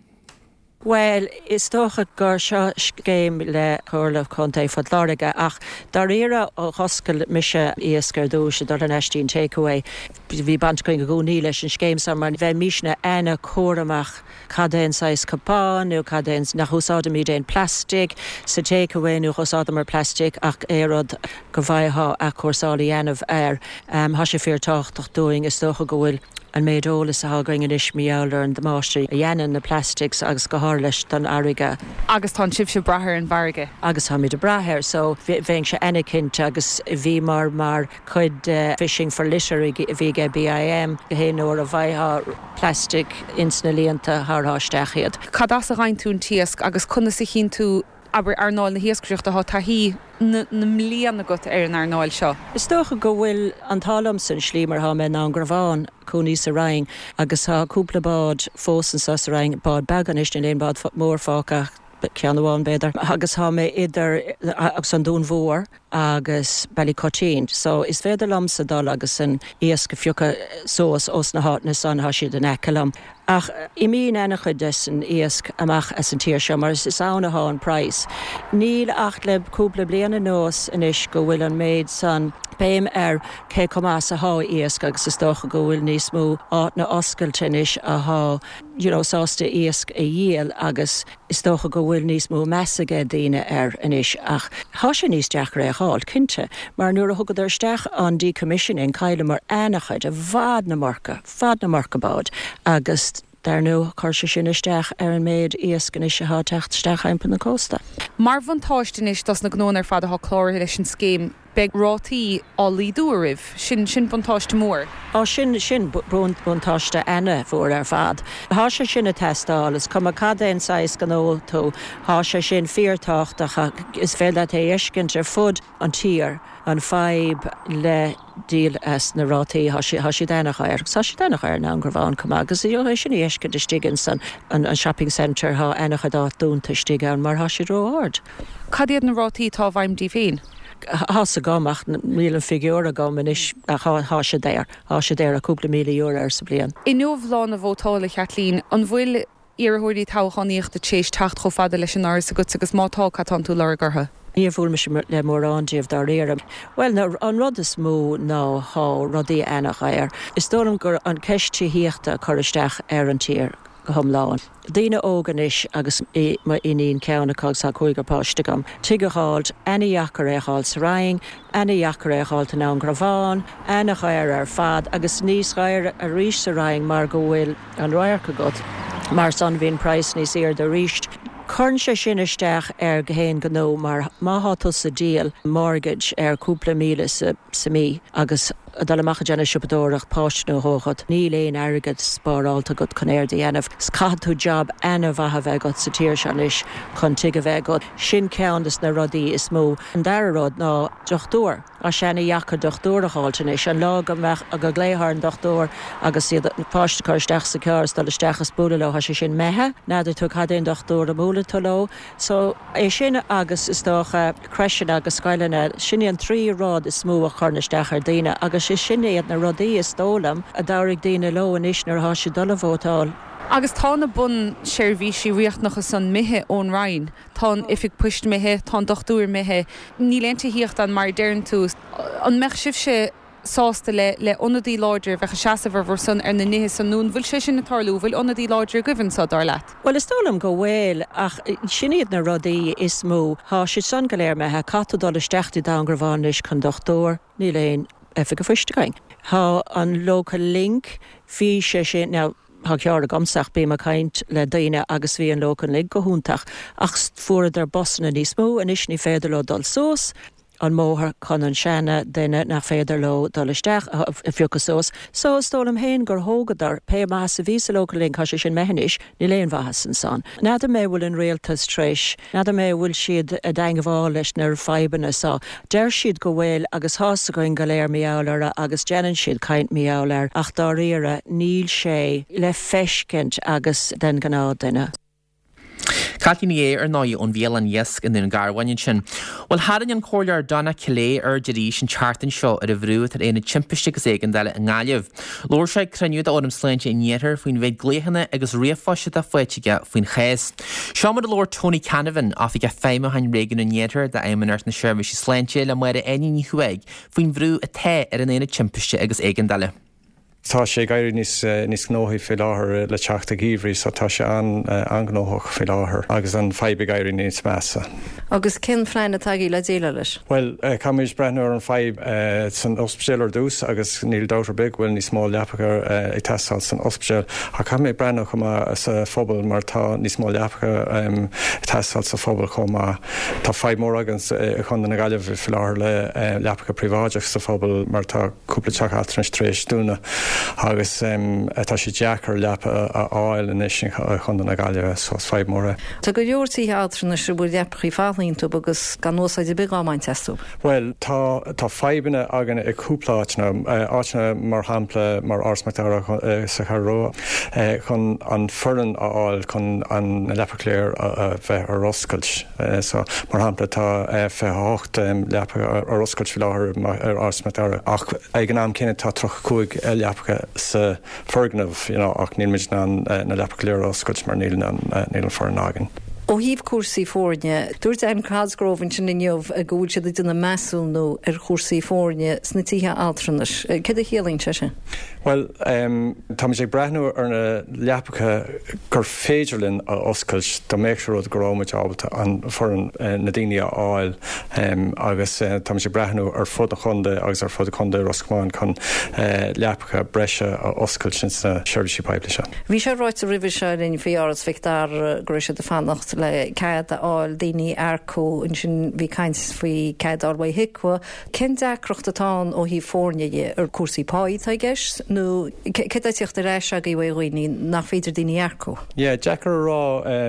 Bhuel, is dócha gur seo scéim le Comhairle Contae Phort Láirge ach dáiríre ó dh'oscail mise Iasc ar dtús ag dul thar n-ais dtí'n takeaway, bhí baint againn i gcónaí leis an scéim seo mar bheimisne ana-chúramach cad é an saghas cupán nó cad é an, nach úsáidimid aon plastic sa takeaway nó dh'úsáideamar plastic ach aon rud go bhfaightheá athchúrsáil a dhéanamh air. Tá sé fíor tábhachtach dúinn, is dócha go bhfuil. an méid eolais atá againn anois mar gheall ar an damáiste a dhéanann na plastics agus go háirithe leis don fharraige. Agus tá sibhse ag brath ar an bhfarraige. Agus táimid ag brath air so bheinnse ana-chinnte agus bhíomar mar chuid de Fishing for Litter a bhí ag B I M haon uair a bhfaightheá plastic ins na líonta thabharfá isteach iad. Cad as a fhaigheann tú an t-iasc agus conas a chinn tú abair earnáil na hiascaireachta, tá taithí na mblian agat ar an earnáil seo. Is dócha go bhfuil an t-ádh liomsa an slí mar thá mé i nDún Garbhán, cónaí sa Rinn agus tá cúpla bád fós anso sa Rinn, bád beag anois, níl aon bád mór fágtha ach ceann amháin b'fhéidir, agus thá mé idir agus an Dún Mhór agus Ballycotteen so is féidir liomsa dul agus an iasc a phiocadh suas ós na háiteanna san, thá siad in aice liom. Ach imíonn ana-chuid des an iasc amach as an tír seo mar is ann athá an praghas. Níl ach le cúpla bliain anuas anois go bhfuil an méid san béim ar cé chomh maith is athá iasc agus is dócha go bhfuil níos mó áiteanna oscailte anois athá you know sásta iasc a dhíol agus is dócha go bhfuil níos mó meas age daoine air anois ach thá sé níos deacra é a fháil, cinnte, mar nuair a thugadar isteach an decommissioning chailleamar ana-chuid, i bhfad na marca, fad na marca bád agus dar ndóigh chuir sé sin isteach ar an méid iasc anois athá ag teacht isteach thimpeall na cósta. Mar bhuntáiste anois dos na gnóanna ar fad atá cláraithe leis an scéim, beidh rátaí á laghdú oraibh. Sin, sin buntáiste mór. Á, sin, sin buntáiste ana-mhór ar fad. Thá sé sin ag teastáil, is cuma cad é an saghas gnó tú, thá sé sin fíorthábhachtach, is féidir leat é a fheiscint ar fud an tír, an fadhb le díol as na rátaí, thá siad, thá siad ana-dhaor, agus thá siad ana-dhaor i nDún Garbhán chomh maith, agus é sin a fheiscint istigh ins an, an shopping centre, thá ana-chuid áit dúnta istigh ann mar thá siad ró-ard. Cad iad na rátaí atá i bhfeidhm daoibh féin? Tá's agam ach níl an figiúr agam anois ach tá sé daor, tá sé daor cúpla míle euro ar sa bliain. Inniu lá na vótála Kathleen, an bhfuil iarrthóirí toghchánaíochta théis teacht chomh fada leis an áras agat agus má tá cad tánn tú lorg orthu. Níor bhuail mise le mórán díobh dáiríre. Well an rud is mó ná tá rudaí an-dhaor. Is dóigh liom gur an ceist tithíochta a chur isteach ar an tír go hiomlán. Daoine óga anois agus mo iníon ceann acu agus tá cúigear páiste agam. Tigh a fháilt, an-deacair é a fháil sa Rinn, an-deacair é a fháilt i nDún Garbhán, an-dhaor ar fad agus níos gaire arís sa Rinn mar go bhfuil an radharc agat. Mar san bhíonn praghas níos airde arís. Cuireann sé sin isteach ar gach aon ghnó mar má thá tusa ag díol mortgage ar cúpla míle sa, sa mí agus dul amach ag déanamh siopadóireacht páiste nó dhó agat, níl aon airgead spárálta agat chun é a dhéanamh. 'S caithfidh tú job an-mhaith a bheith agat sa tír seo anois chun tigh a bheith agat. Sin ceann des na rudaí is mó. An dara rud ná dochtúir. Tá sé an-deacair dochtúir a fháilt anois an lá go mbeadh go nglaofá ar an dochtúir agus iad páiste chur isteach sa charr dul isteach is bualadh leo tá sé sin imithe, n'fheadar tú cad é an dochtúir a mbuailfidh tú leo. So é sin agus is dócha crècheanna agus scoileanna sin an trí rud is mó a chuireann isteach ar daoine agus is sin iad na rudaí is dóigh liom a dtabharfaidh daoine leo anois nuair atá siad dul a vótáil. Agus tá na bunseirbhísí riachtanacha san imithe ón Rinn, Tá an oifig poist imithe, tá an dochtúir imithe, níl aon tithíocht ann mar deireann tú. An mbeadh sibhse sásta le le ionadaí láidir bheith ag seasamh ar bhur son ar na nithe san nó an bhfuil sé sin ag tarlú, bhfuil ionadaí láidir agaibh anseo dar leat? Well is dóigh liom go bhfuil ach sin iad na rudaí is mó. Tá siad san go léir imithe, caithfidh tú dul isteach i Dún Garbhán anois chun dochtúir, níl aon oifig an phoist againn. Tá an Local Link, bhí sé sin now, Tá cearr agamsa ach bím ag caint le daoine agus bhí an Local Link go hiontach ach fuaireadar busanna níos mó anois ní féidir leo dul suas an mbóthar chun an seana duine nach féidir leo dul isteach a phiocadh suas. So is dóigh liom féin gur thógadar pé maitheas a bhí sa Local Link tá sé sin imithe anois, níl aon mhaitheas ansan. N'fheadar mé bhfuil an rialtas tar éis, n'fheadar mé bhfuil siad i dteagmháil leis na fadhbanna so. Deir siad go bhfuil agus tá's againn go léir mar gheall air agus déanann siad caint mar gheall air ach dáiríre níl sé le feiscint agus den gnáthdhuine. Caitlín Ní Aodha ar ndóigh ón bhialann Iasc i nDún Garbhán ansin. Well tharraing an Comhairleoir Donna Killea aird arís an tseachtain seo ar an bhrú atá ar Aonad Timpiste agus Éigeandála i nGaillimh. Labhair sé ag cruinniú d'Fhóram Sláinte an Iarthair faoin mhéid glaochanna agus ríomhphoist atá faighte aige faoin chás. Seo mar a labhair Tony Canavan, Oifigeach Feidhmiúcháin Réigiún an Iarthair d'Fheidhmeannacht na Seirbhíse Sláinte le Máire Áine Ní Chuaig faoin bhrú atá ar an Aonad Timpiste agus Éigeandála. Tá sé ag éirí níos níos gnóthaí faoi láthair le teacht an gheimhridh, so tá sé an an-ghnóthach faoi láthair agus an fadhb ag éirí níos measa. Agus cén phlean atá agaibh le déileáil leis? Well caithfimid breathnú ar an fadhb san ospidéal ar dtús agus níl dabht ar bith go bhfuil níos mó leapacha ag teastáil san ospidéal ach caithfimid breathnú chomh maith sa phobal mar tá níos mó leapacha ag teastáil sa phobal chomh maith. Tá fadhb mór againn i gContae na Gaillimhe faoi láthair le leapacha príobháideach sa phobal mar tá cúpla teach altranais tar éis dúnadh. agus tá sé deacair leapa a fháil anois i gContae na Gaillimhe so is fadhb mór é. Tá go leor tithe altranais a bhfuil leapacha fágtha iontu agus gan úsáid ar bith á mbaint astu. Well tá tá fadhbanna againn i cúpla áiteanna áiteanna mar shampla mar Áras Mac Dara sa Cheathrú Rua chun an foireann a fháil chun an leapacha go léir a bheith ar oscailt. So mar shampla tá fiche a hocht leapa ar oscailt faoi láthair ar Áras Mac Dara ach ag an am céanna tá tríocha cúig leapacha sa foirgneamh you know, ach níl muid in ann na leapacha go léir a oscailt mar níl an níl an foireann againn. Ó thaobh cúrsaí foirne, dúirt Anne Cosgrove ansin inniu go bhfuil siad ag déanamh measúnú ar chúrsaí foirne sna tithe altranais. Céard a chiallaíonn sé sin? Well um, táimid ag breathnú ar na leapacha gur féidir linn a oscailt dá mbeadh sé rud go raibh muid ábalta an foireann na daoine a fháil um, agus uh, táimid ag breathnú ar fud an chontae agus ar fud contae Ros Comáin chun uh, leapacha breise a oscailt sin sna seirbhísí poiblí seo. Bhí sé ráite roimhe seo linn faoi Áras Mhic Dara go raibh siad ag fanacht le cead a fháil daoine a earcú ansin bhí caint faoi cead a fháil ó HIQA. Cén deacracht atá ann ó thaobh foirne dhe ar cúrsaí pá atá i gceist nó céard atá ag teacht ar ais agaibh ó dhaoine nach féidir daoine a earcú? Yeah, deacair a rá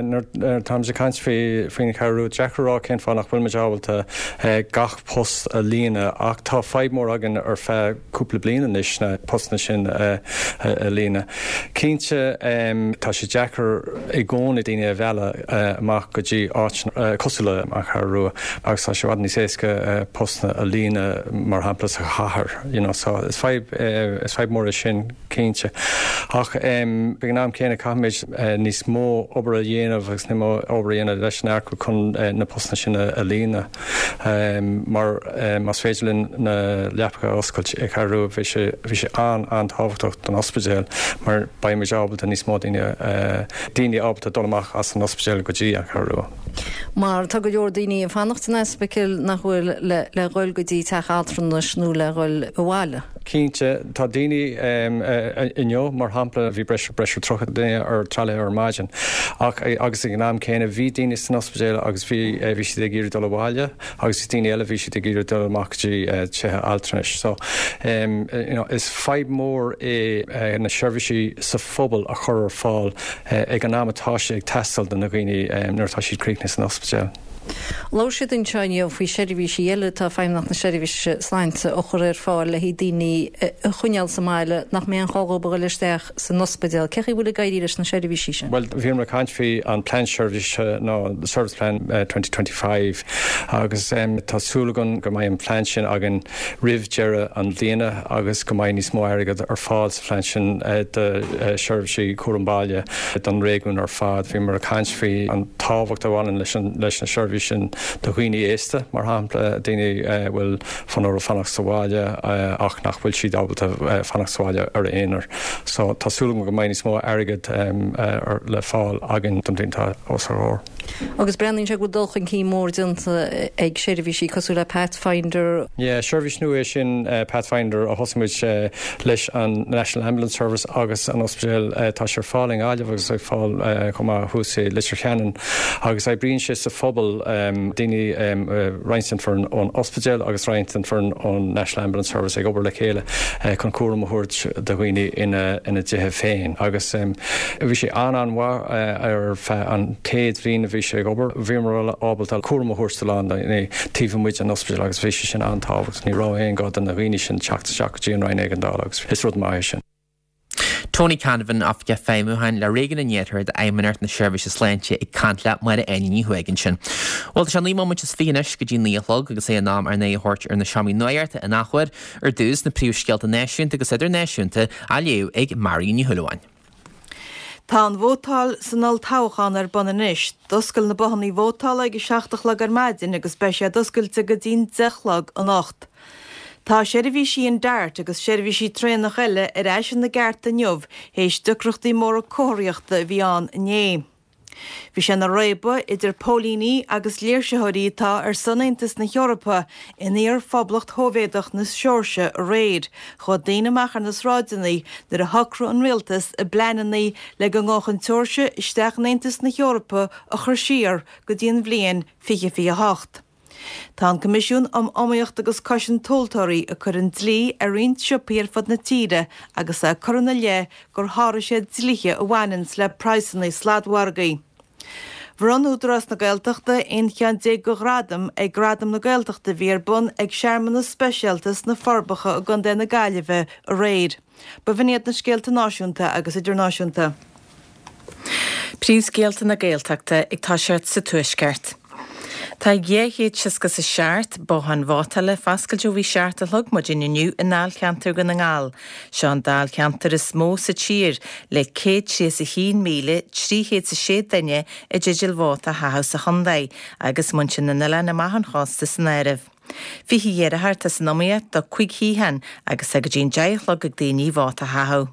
nuair táimid ag caint faoi faoin Cheathrú, deacair a rá cén fáth nach bhfuil muid ábalta gach post a líonadh ach tá fadhb mór againn ar feadh cúpla bliain anois na postanna sin a líonadh. Cinnte tá sé deacair i gcónaí daoine a mhealladh amach go dtí áiteanna cosúil le An Cheathrú Rua agus tá sé i bhfad níos éasca postanna a líonadh mar shampla sa chathair you know so is fadhb is fadhb mór é sin cinnte. Ach ag an am céanna caithfimid níos mó obair a dhéanamh agus níos mó obair a dhéanamh leis an earcú chun na postanna sin a líonadh mar más féidir linn na leapacha a oscailt i Cheathrú Rua bhí sé bhí sé an-an-tábhachtach don ospidéal mar beidh muid ábalta níos mó daoine daoine ábalta dul amach as an ospidéal go dtí an Cheathrú Rua. Mar tá go leor daoine ag fanacht san ospidéal nach bhfuil le le dhul go dtí teach altranais nó le dhul abhaile. Cinnte, tá daoine inniu, mar shampla, bhí breis breis ar tríocha duine ar tralaithe ar maidin ach agus ag an am céanna bhí daoine san ospidéal agus bhí bhí siad ag iarraidh dul abhaile agus bhí daoine eile bhí siad ag iarraidh dul amach go dtí tithe altranais. So you know, is fadhb mór é na seirbhísí sa phobal a chur ar fáil ag an am atá sé ag teastáil do na dhaoine nuair atá siad críochnaithe san ospidéal. Labhair siad anseo inniu faoi sheirbhísí eile atá Feidhmeannacht na Seirbhíse Sláinte a chur ar fáil le haghaidh daoine a choinneáil sa mbaile nach mbeidh aon chall dóibh a dhul isteach san ospidéal. Cé chaoi a bhfuil ag éirí leis na seirbhísí sin? Bhuel, bhíomar ag caint faoi an plean seirbhíse nó the Service Plan twenty twenty five agus tá súil againn go mbeidh an plean sin againn roimh deireadh an bhliana agus go mbeidh níos mó airgead ar fáil sa phlean sin do sheirbhísí cúram baile don réigiún ar fad. Bhíomar ag caint faoi an tábhacht a bhaineann leis an leis na seirbhísí sin do dhaoine aosta, mar shampla, daoine a bhfuil fonn orthu fanacht sa bhaile ach nach bhfuil siad ábalta fanacht sa bhaile ar a aonar. So tá súil agam go mbeidh níos mó airgead le fáil againn don bhliain atá os ár gcomhair. Agus breathnaíonn sé go bhfuil dul chun cinn mór déanta ag seirbhísí cosúil le Pathfinder. Yeah, seirbhís nua é sin Pathfinder a thosaigh muid leis an National Ambulance Service agus an ospidéal. Tá sé ar fáil i nGaillimh agus ar fáil chomh maith thuas i Leitir Ceanainn agus oibríonn sé sa phobal, daoine, roinnt den foireann ón ospidéal agus roinnt den foireann ón National Ambulance Service ag obair le chéile chun cúram a thabhairt do dhaoine ina dtithe féin agus bhí sé an-an-mhaith ar feadh an chéad bhliain a bhí sé ag obair. Bhíomar ábalta cúram a thabhairt do lán daoine taobh amuigh den ospidéal agus bhí sé sin an-tábhachtach. Ní raibh aon gá do na dhaoine sin teacht isteach go dtí an Roinn Éigeandála agus is rud maith é sin. Tony Canavan, Oifigeach Feidhmiúcháin le Réigiún an Iarthair d'Fheidhmeannacht na Seirbhíse Sláinte ag caint le Máire Áine Ní Chuaig ansin. Bhuel, tá sé naoi móimint is fiche anois go dtí naoi a chlog agus é in am ár n-aghaidh a thabhairt ar na seomraí nuachta in athuair. Ar dtús, na príomhscéalta náisiúnta agus idirnáisiúnta á léamh ag Marion Ní Shúilleabháin. Tá an vótáil san olltoghchán ar bun anois. D'oscail na bothanna vótála ag a seacht a chlog ar maidin agus beidh siad oscailte go dtí'n deich a chlog anocht. Tá seirbhísí an DART agus seirbhísí traenach eile ar ais ina gceart inniu théis deacrachtaí móra comharthaíochta a bhí ann inné. Bhí sé ina réabadh idir póilíní agus léirsitheoirí atá ar son Aontas na hEorpa in iar-Phoblacht Shóivéadach na Seoirsia aréir. Chuaigh daoine amach ar na sráideanna nuair a shocraigh an rialtas a bpleananna le go ngabhfadh an tSeoirsia isteach in Aontas na hEorpa a chur siar go dtí an bhliain fiche fiche a hocht. Tá an Coimisiún um Iomaíocht agus Cosaint Tomhaltóirí ag cur an dlí ar roinnt siopaí ar fud na tíre agus é ag cur ina leith gur sháraigh siad dlíthe a bhaineanns le praghsanna sladmhargaí. Bhronn Údarás na Gaeltachta aon cheann déag de ghradaim ag Gradaim na Gaeltachta a bhí ar bun ag searmanas speisialta sna Forbacha i gContae na Gaillimhe aréir. B'in iad na scéalta náisiúnta agus idirnáisiúnta. Príomhscéalta na Gaeltachta ag toiseacht sa Tuaisceart. Tá dhá chéad seasca is a seacht bothán vótála foscailte ó bhí seacht a chlog maidin inniu i ndáilcheantar Dhún na nGall. Seo an dáilcheantar is mó sa tír le céad tríocha is a haon míle trí chéad is a sé duine i dteideal vóta a chaitheamh sa chontae agus muintir na n-oileán amach ón chósta san áireamh. Fiche iarrthóir atá san iomaíocht do cúig shuíochán agus tá go dtí an deich a chlog ag daoine vóta a chaitheamh.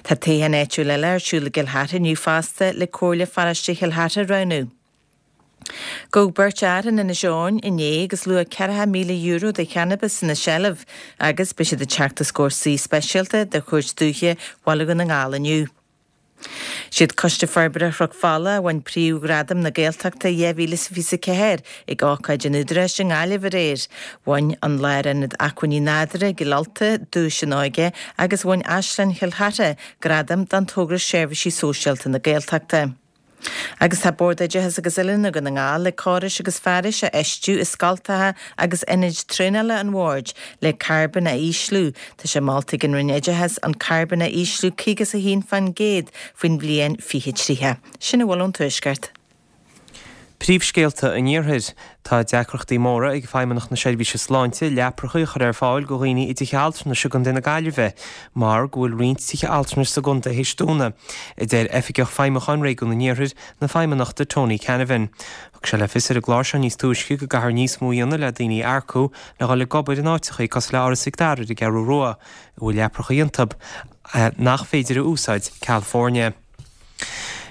Tá toghchán áitiúil eile ar siúl i gCill Chartha inniu fosta le Comhairle Pharóiste Chill Chartha a roghnú. Gabhadh beirt fhear in Inis Eoghain inné agus luach ceathracha míle euro de channabas ina seilbh agus beidh siad ag teacht os comhair suí speisialta de Chúirt Dúiche Bhaile Dhún na nGall inniu. Siad Coiste Forbartha Chnoc Fola a bhain Príomhghradam na Gaeltachta dhá mhíle is fiche a ceathair ag ócáid an Údaráis i nGaillimh aréir. Bhain an Lárionad Acmhainní Nádúrtha i gCill Ulta duais an óige agus bhain Áislann Chill Chartha gradam don togra Seirbhísí Sóisialta na Gaeltachta. Agus tá Bord Oideachais agus Oiliúna Dhún na nGall le córais agus fearais a fheistiú i scoltacha agus ionaid traenála an Bhoird le carbón a ísliú. Tá sé molta ag an Roinn Oideachais an carbón a ísliú caoga is a haon faoin gcéad faoin bhliain fiche tríocha. Sin a bhfuil ón Tuaisceart. Príomhscéalta an Iarthair. Tá deacrachtaí móra ag Feidhmeannacht na Seirbhíse Sláinte leapracha a chur ar fáil go dhaoine i dtithe altranais i gContae na Gaillimhe mar go bhfuil roinnt tithe altranais sa gcontae théis dúnadh, a deir Oifigeach Feidhmiúcháin Réigiún an Iarthair na Feidhmeannachta Tony Canavan. Thug sé le fios ar an gclár seo níos túisce go gcaithfear níos mó a dhéanamh le daoine a earcú le dhul ag obair in áiteacha cosúil le Áras Mhic Dara ar an gCeathrú Rua, a bhfuil leapracha iontu nach féidir a úsáid ceal foirne.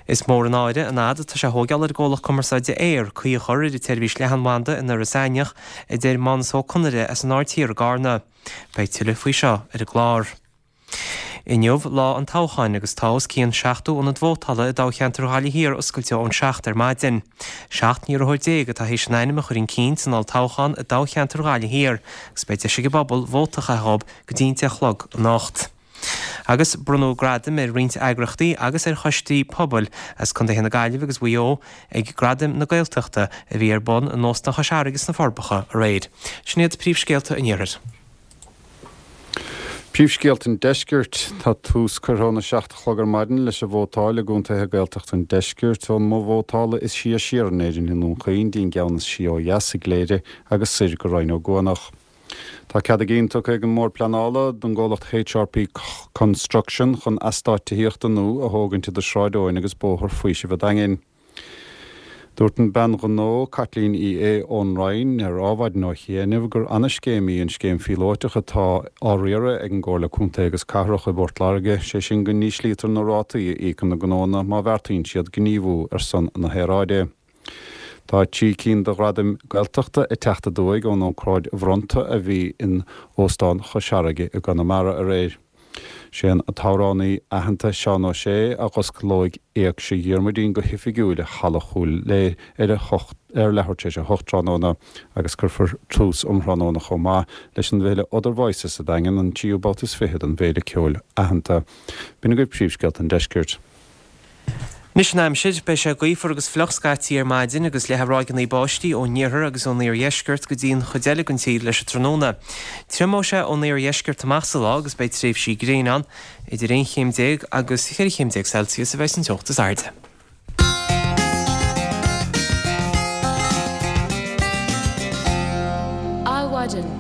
Is mór an náire an fhad atá sé a thógáil ar an gcomhlacht cumarsáide Eir caoi a chur ar an tseirbhís leathanbhanda in Iorras Aithneach, a deir Mánas Ó Conaire as an Aird Thiar i gCarna. Beidh tuilleadh faoi seo ar an gclár. Inniu lá an toghcháin agus tá os cionn seachtó ionad vótála i dtoghcheantar Ghaillimh Thiar oscailte ón seacht ar maidin. Seacht n-iarrthóir déag atá théis a n-ainm a chur chun cinn san olltoghchán i dtoghcheantar Ghaillimh Thiar agus beidh deis ag an bpobal vóta a chaitheamh go dtí an deich a chlog anocht. Agus bronnadh gradaim ar roinnt eagraíochtaí agus ar choistí pobail as Contaetha na Gaillimhe agus Mhaigh Eo ag Gradaim na Gaeltachta a bhí ar bun in Óstán Chois Fharraige sna Forbacha aréir. Sin iad príomhscéalta an Iarthair. Príomhscéalta an Deiscirt. Tá tús curtha óna seacht a chlog ar maidin leis an vótáil i gcontaetha Gaeltachta an Deiscirt ón mboth vótála is sia siar in Éirinn i nDún Chaoin dtí an gceann is sia ó dheas i gCléire agus soir go Rinn Ó gCuanach. Tá cead a gcinn tugtha ag an mBord Pleanála don gcomhlacht HRP Construction chun eastát tithíochta nua a thógaint idir Sráid Eoin agus Bóthar Faoisimh an Daingin. Dúirt an bean ghnó Caitlín Uí Aodha ón Rinn ar Adhmhaidin ó chianaibh gur ana-scéim í an scéim phíolótach atá á riaradh ag an gComhairle Contae agus Cathrach i bPort Láirge, sé sin go n-íslítear na rátaí a íocann na gnónna má bheartaíonn siad gníomhú ar son na haeráide. Tá trí cinn de ghradaim Gaeltachta ag teacht aduaidh ón ócáid bhronnta a bhí in Óstán Chois Fharraige i gConamara aréir. Sé an t-amhránaí aitheanta Seán Ó Sé a dh'osclóidh Éigse Dhiarmuidín go hoifigiúil i Halla Chúil Aodha ar a hocht ar leathuair tar éis a hocht tráthnóna agus cuirfear tús um thráthnóna chomh maith leis an bhféile Other Voices sa Daingean, an tríú babhta is fiche den bhféile ceoil aitheanta. B'in agaibh príomhscéalta an deiscirt. Anois an aimsir, beidh sé gaofar agus fliuch scaití ar maidin agus leathfaidh ráigeanna báistí ón iarthar agus ón iardheisceart go dtí an chuid eile den tír leis an tráthnóna. Triomóidh sé ón iardheisceart amach sa lá agus beidh tréimhsí gréine ann. Idir aon chéim déag agus cheithre chéim déag Celsius a bheidh an teocht is airde. Adhmhaidin.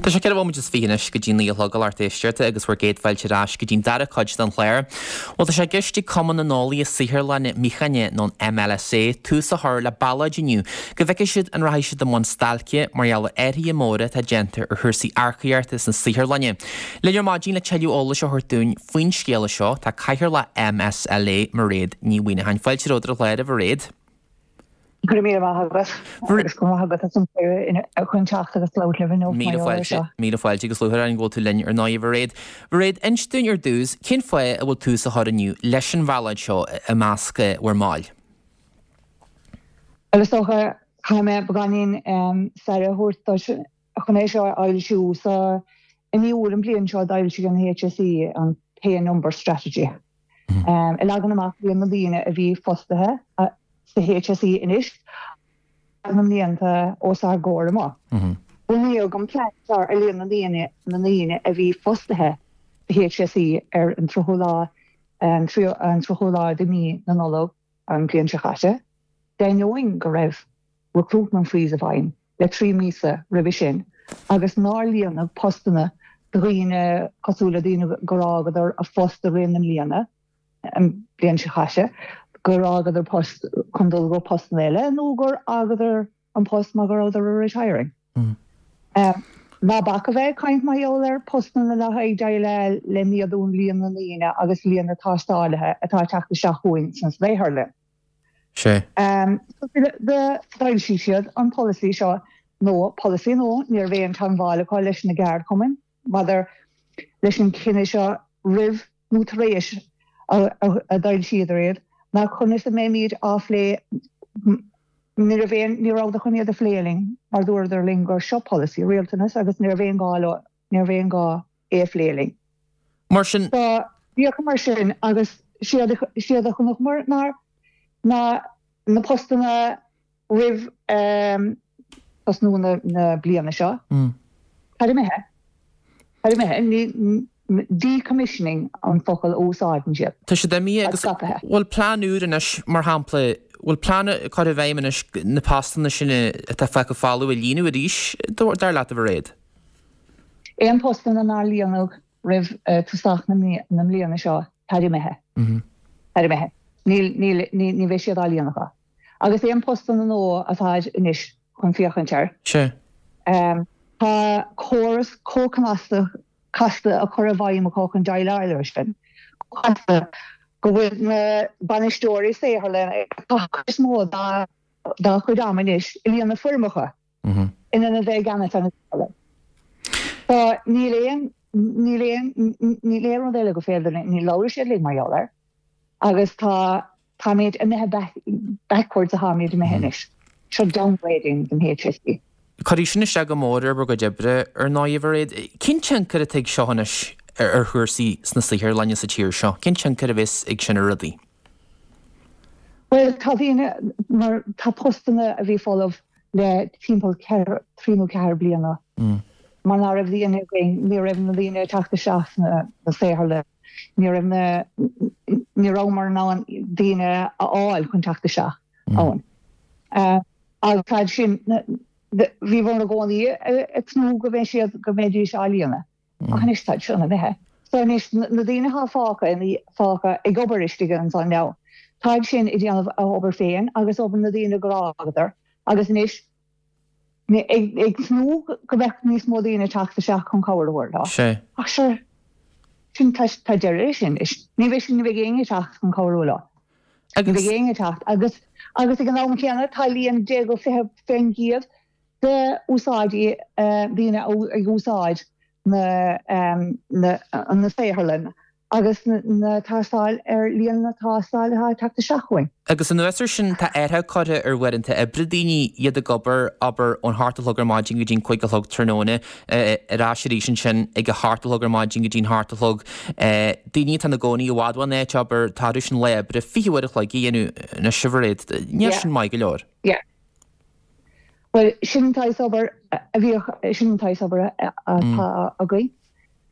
Tá sé ceithre bhomaite is fiche anois go dtí naoi a chlog a lucht éisteachta agus bhur gcéad fáilte ar ais go dtí'n dara cuid den chlár. Bhuel tá sé i gceist ag Cumann na nEolaithe Saotharlainne Míochaine nó an MLSA tús a chur le ballóid inniu go bhfeicfidh siad an rachaidh siad i mbun stailce mar gheall ar athruithe móra atá déanta ar chúrsaí earcaíochta sna saotharlainne. Linn ar maidin le tuilleadh eolais a thabhairt dúinn faoin scéala seo tá Cathaoirleach MSLA Mairéad Ní Mhuineacháin. Fáilte romhat ar an chlár a Mhairéad. Go raibh míle maith agat agus go raibh maith agat as an gcuireadh chun teacht agus labhairt libh inniu mar gheall air seo. Míle fáilte agus lúcháir orainn go bhfuil tú linn ar ndóigh a Mhairéad. Mhairéad, inis dúinn ar dtús, cén fáth a bhfuil tús á chur inniu leis an bhallóid seo i measc bhur mbaill? Bhuel is dócha, caithfidh mé beagáinín staire a thabhairt duit chun é seo a fhoilsiú. So i mí Iúil an bhliain seo d'fhoilsigh an HSE an Pay and Number Strategy ag leagan amach líon na ndaoine a bhí fostaithe sa HSE anois agus na mblianta os ár gcomhair amach. Bunaíodh an plean seo ar líon na ndaoine na ndaoine a bhí fostaithe sa HSE ar an tríochú lá an tríochú lá de mhí na Nollag an bhliain seo caite, d'ainneoin go raibh recruitment freeze i bhfeidhm le trí míosa roimhe sin agus nár líonadh postanna do dhaoine cosúil le daoine gur fhágadar a phost i rith na mbliana. an bhliain seo caite, gur fhágadar post chun dul go postanna eile nó gur fhágadar an post mar go rabhadar retiring. Ná bac a bheith ag caint mar gheall ar postanna le haghaidh déileáil le méadú an líon na ndaoine agus líon na tástálaithe atá ag teacht isteach chugainn sna saotharlann. D'fhoilsigh siad an polasaí seo nó polasaí nó ní raibh aon teagmháil acu leis na gceardchumainn maidir leis an chinneadh seo roimh nó tar éis a d'fhoilsíodar iad, ná conas a mbeimid á phlé, ní raibh aon, ní rabhadar chun iad a phlé linn mar dúradar linn gur seo polasaí rialtais agus ní raibh aon gá leo, ní raibh aon gá é a phlé linn. Mar sin. So, bhíodh mar sin agus séard a, séard a chonaiceamar ná, ná na postanna roimh tosnú na bliana seo, táid imithe, táid imithe, ní, Decommissioning an focal a úsáideann siad. Tá siad imithe agus bhfuil plean úr anois, mar shampla, bhfuil plean curtha i bhfeidhm anois na postanna sin atá fágtha folamh a líonadh arís, dar leat, a Mhairéad? Aon postanna nár líonadh roimh tosach na mbliana seo, táid imithe. Táid imithe. Níl, níl, ní bheidh siad á líonadh. Agus aon postanna nua atáid anois chun féachaint air. Sea. Tá córas chomh casta casta á chur i bhfeidhm acu chun déileáil leis sin. Chomh casta go bhfuil na bainisteoirí saotharlainne ag caitheamh cuid is mó dá dá chuid ama anois ag líonadh foirmeacha in ionad a bheith i gceannas ar na saotharlann. So níl aon níl aon níl aon rud eile go féidir linn, ní labhróidh siad linn mar gheall air agus tá táimid imithe back backwards atáimid imithe anois. Seo downgrading den HSE. Cuirfidh sin isteach go mór ar bhur gcuid oibre, ar ndóigh, a Mhairéad. Cén tionchar atá ag seo anois ar chúrsaí sna saotharlanna sa tír seo? Cén tionchar a bheas ag sin ar rudaí? Bhuel, tá daoine, mar tá postanna a bhí folamh le timpeall ceithre, trí nó ceathair bliana. Mar ná raibh daoine againn, ní raibh na daoine ag teacht isteach sna saotharlanna, ní raibh na, ní rabhamar in ann daoine a fháil chun teacht isteach ann. Agus fad sin, bhíomar i gcónaí ag tnúth go mbeidh siad, go mbeidís á líonadh. Ach anois táid sin imithe. So anois na daoine atá fágtha, fágtha ag obair istigh ansan now, táid sin ag déanamh a obair féin agus obair na daoine gur fhágadar agus anois ag, ag tnúth go mbeadh níos mó daoine ag teacht isteach chun cabhair a thabhairt leo. Sea. Ach sure, sin, tá, tá deireadh leis sin anois. Ní bheidh, ní bheidh éinne ag teacht chun cabhrú leo. Ní bheidh éinne ag teacht agus agus ag an am céanna tá líon deich go fiche faoin gcéad de úsáidí daoine ag úsáid na na na saotharlann agus na tástáil ar líon na tástáil atá ag teacht isteach chugainn. Agus anuas air sin tá athrú curtha ar uaireanta oibre daoine, iad ag obair, abair, ón hocht a chlog ar maidin go dtí'n cúig a chlog tráthnóna, ar ais arís ansin ag a hocht a chlog ar maidin go dtí'n hocht a chlog. Daoine atá ina gcónaí i bhfad ón áit, abair, tá orthu sin lá oibre fiche uair a chloig a dhéanamh anois, a Mhairéad. Níl sin maith go leor. Yeah. Bhuel, sin an tsaghas obair a bhíodh, sin an tsaghas obair atá againn.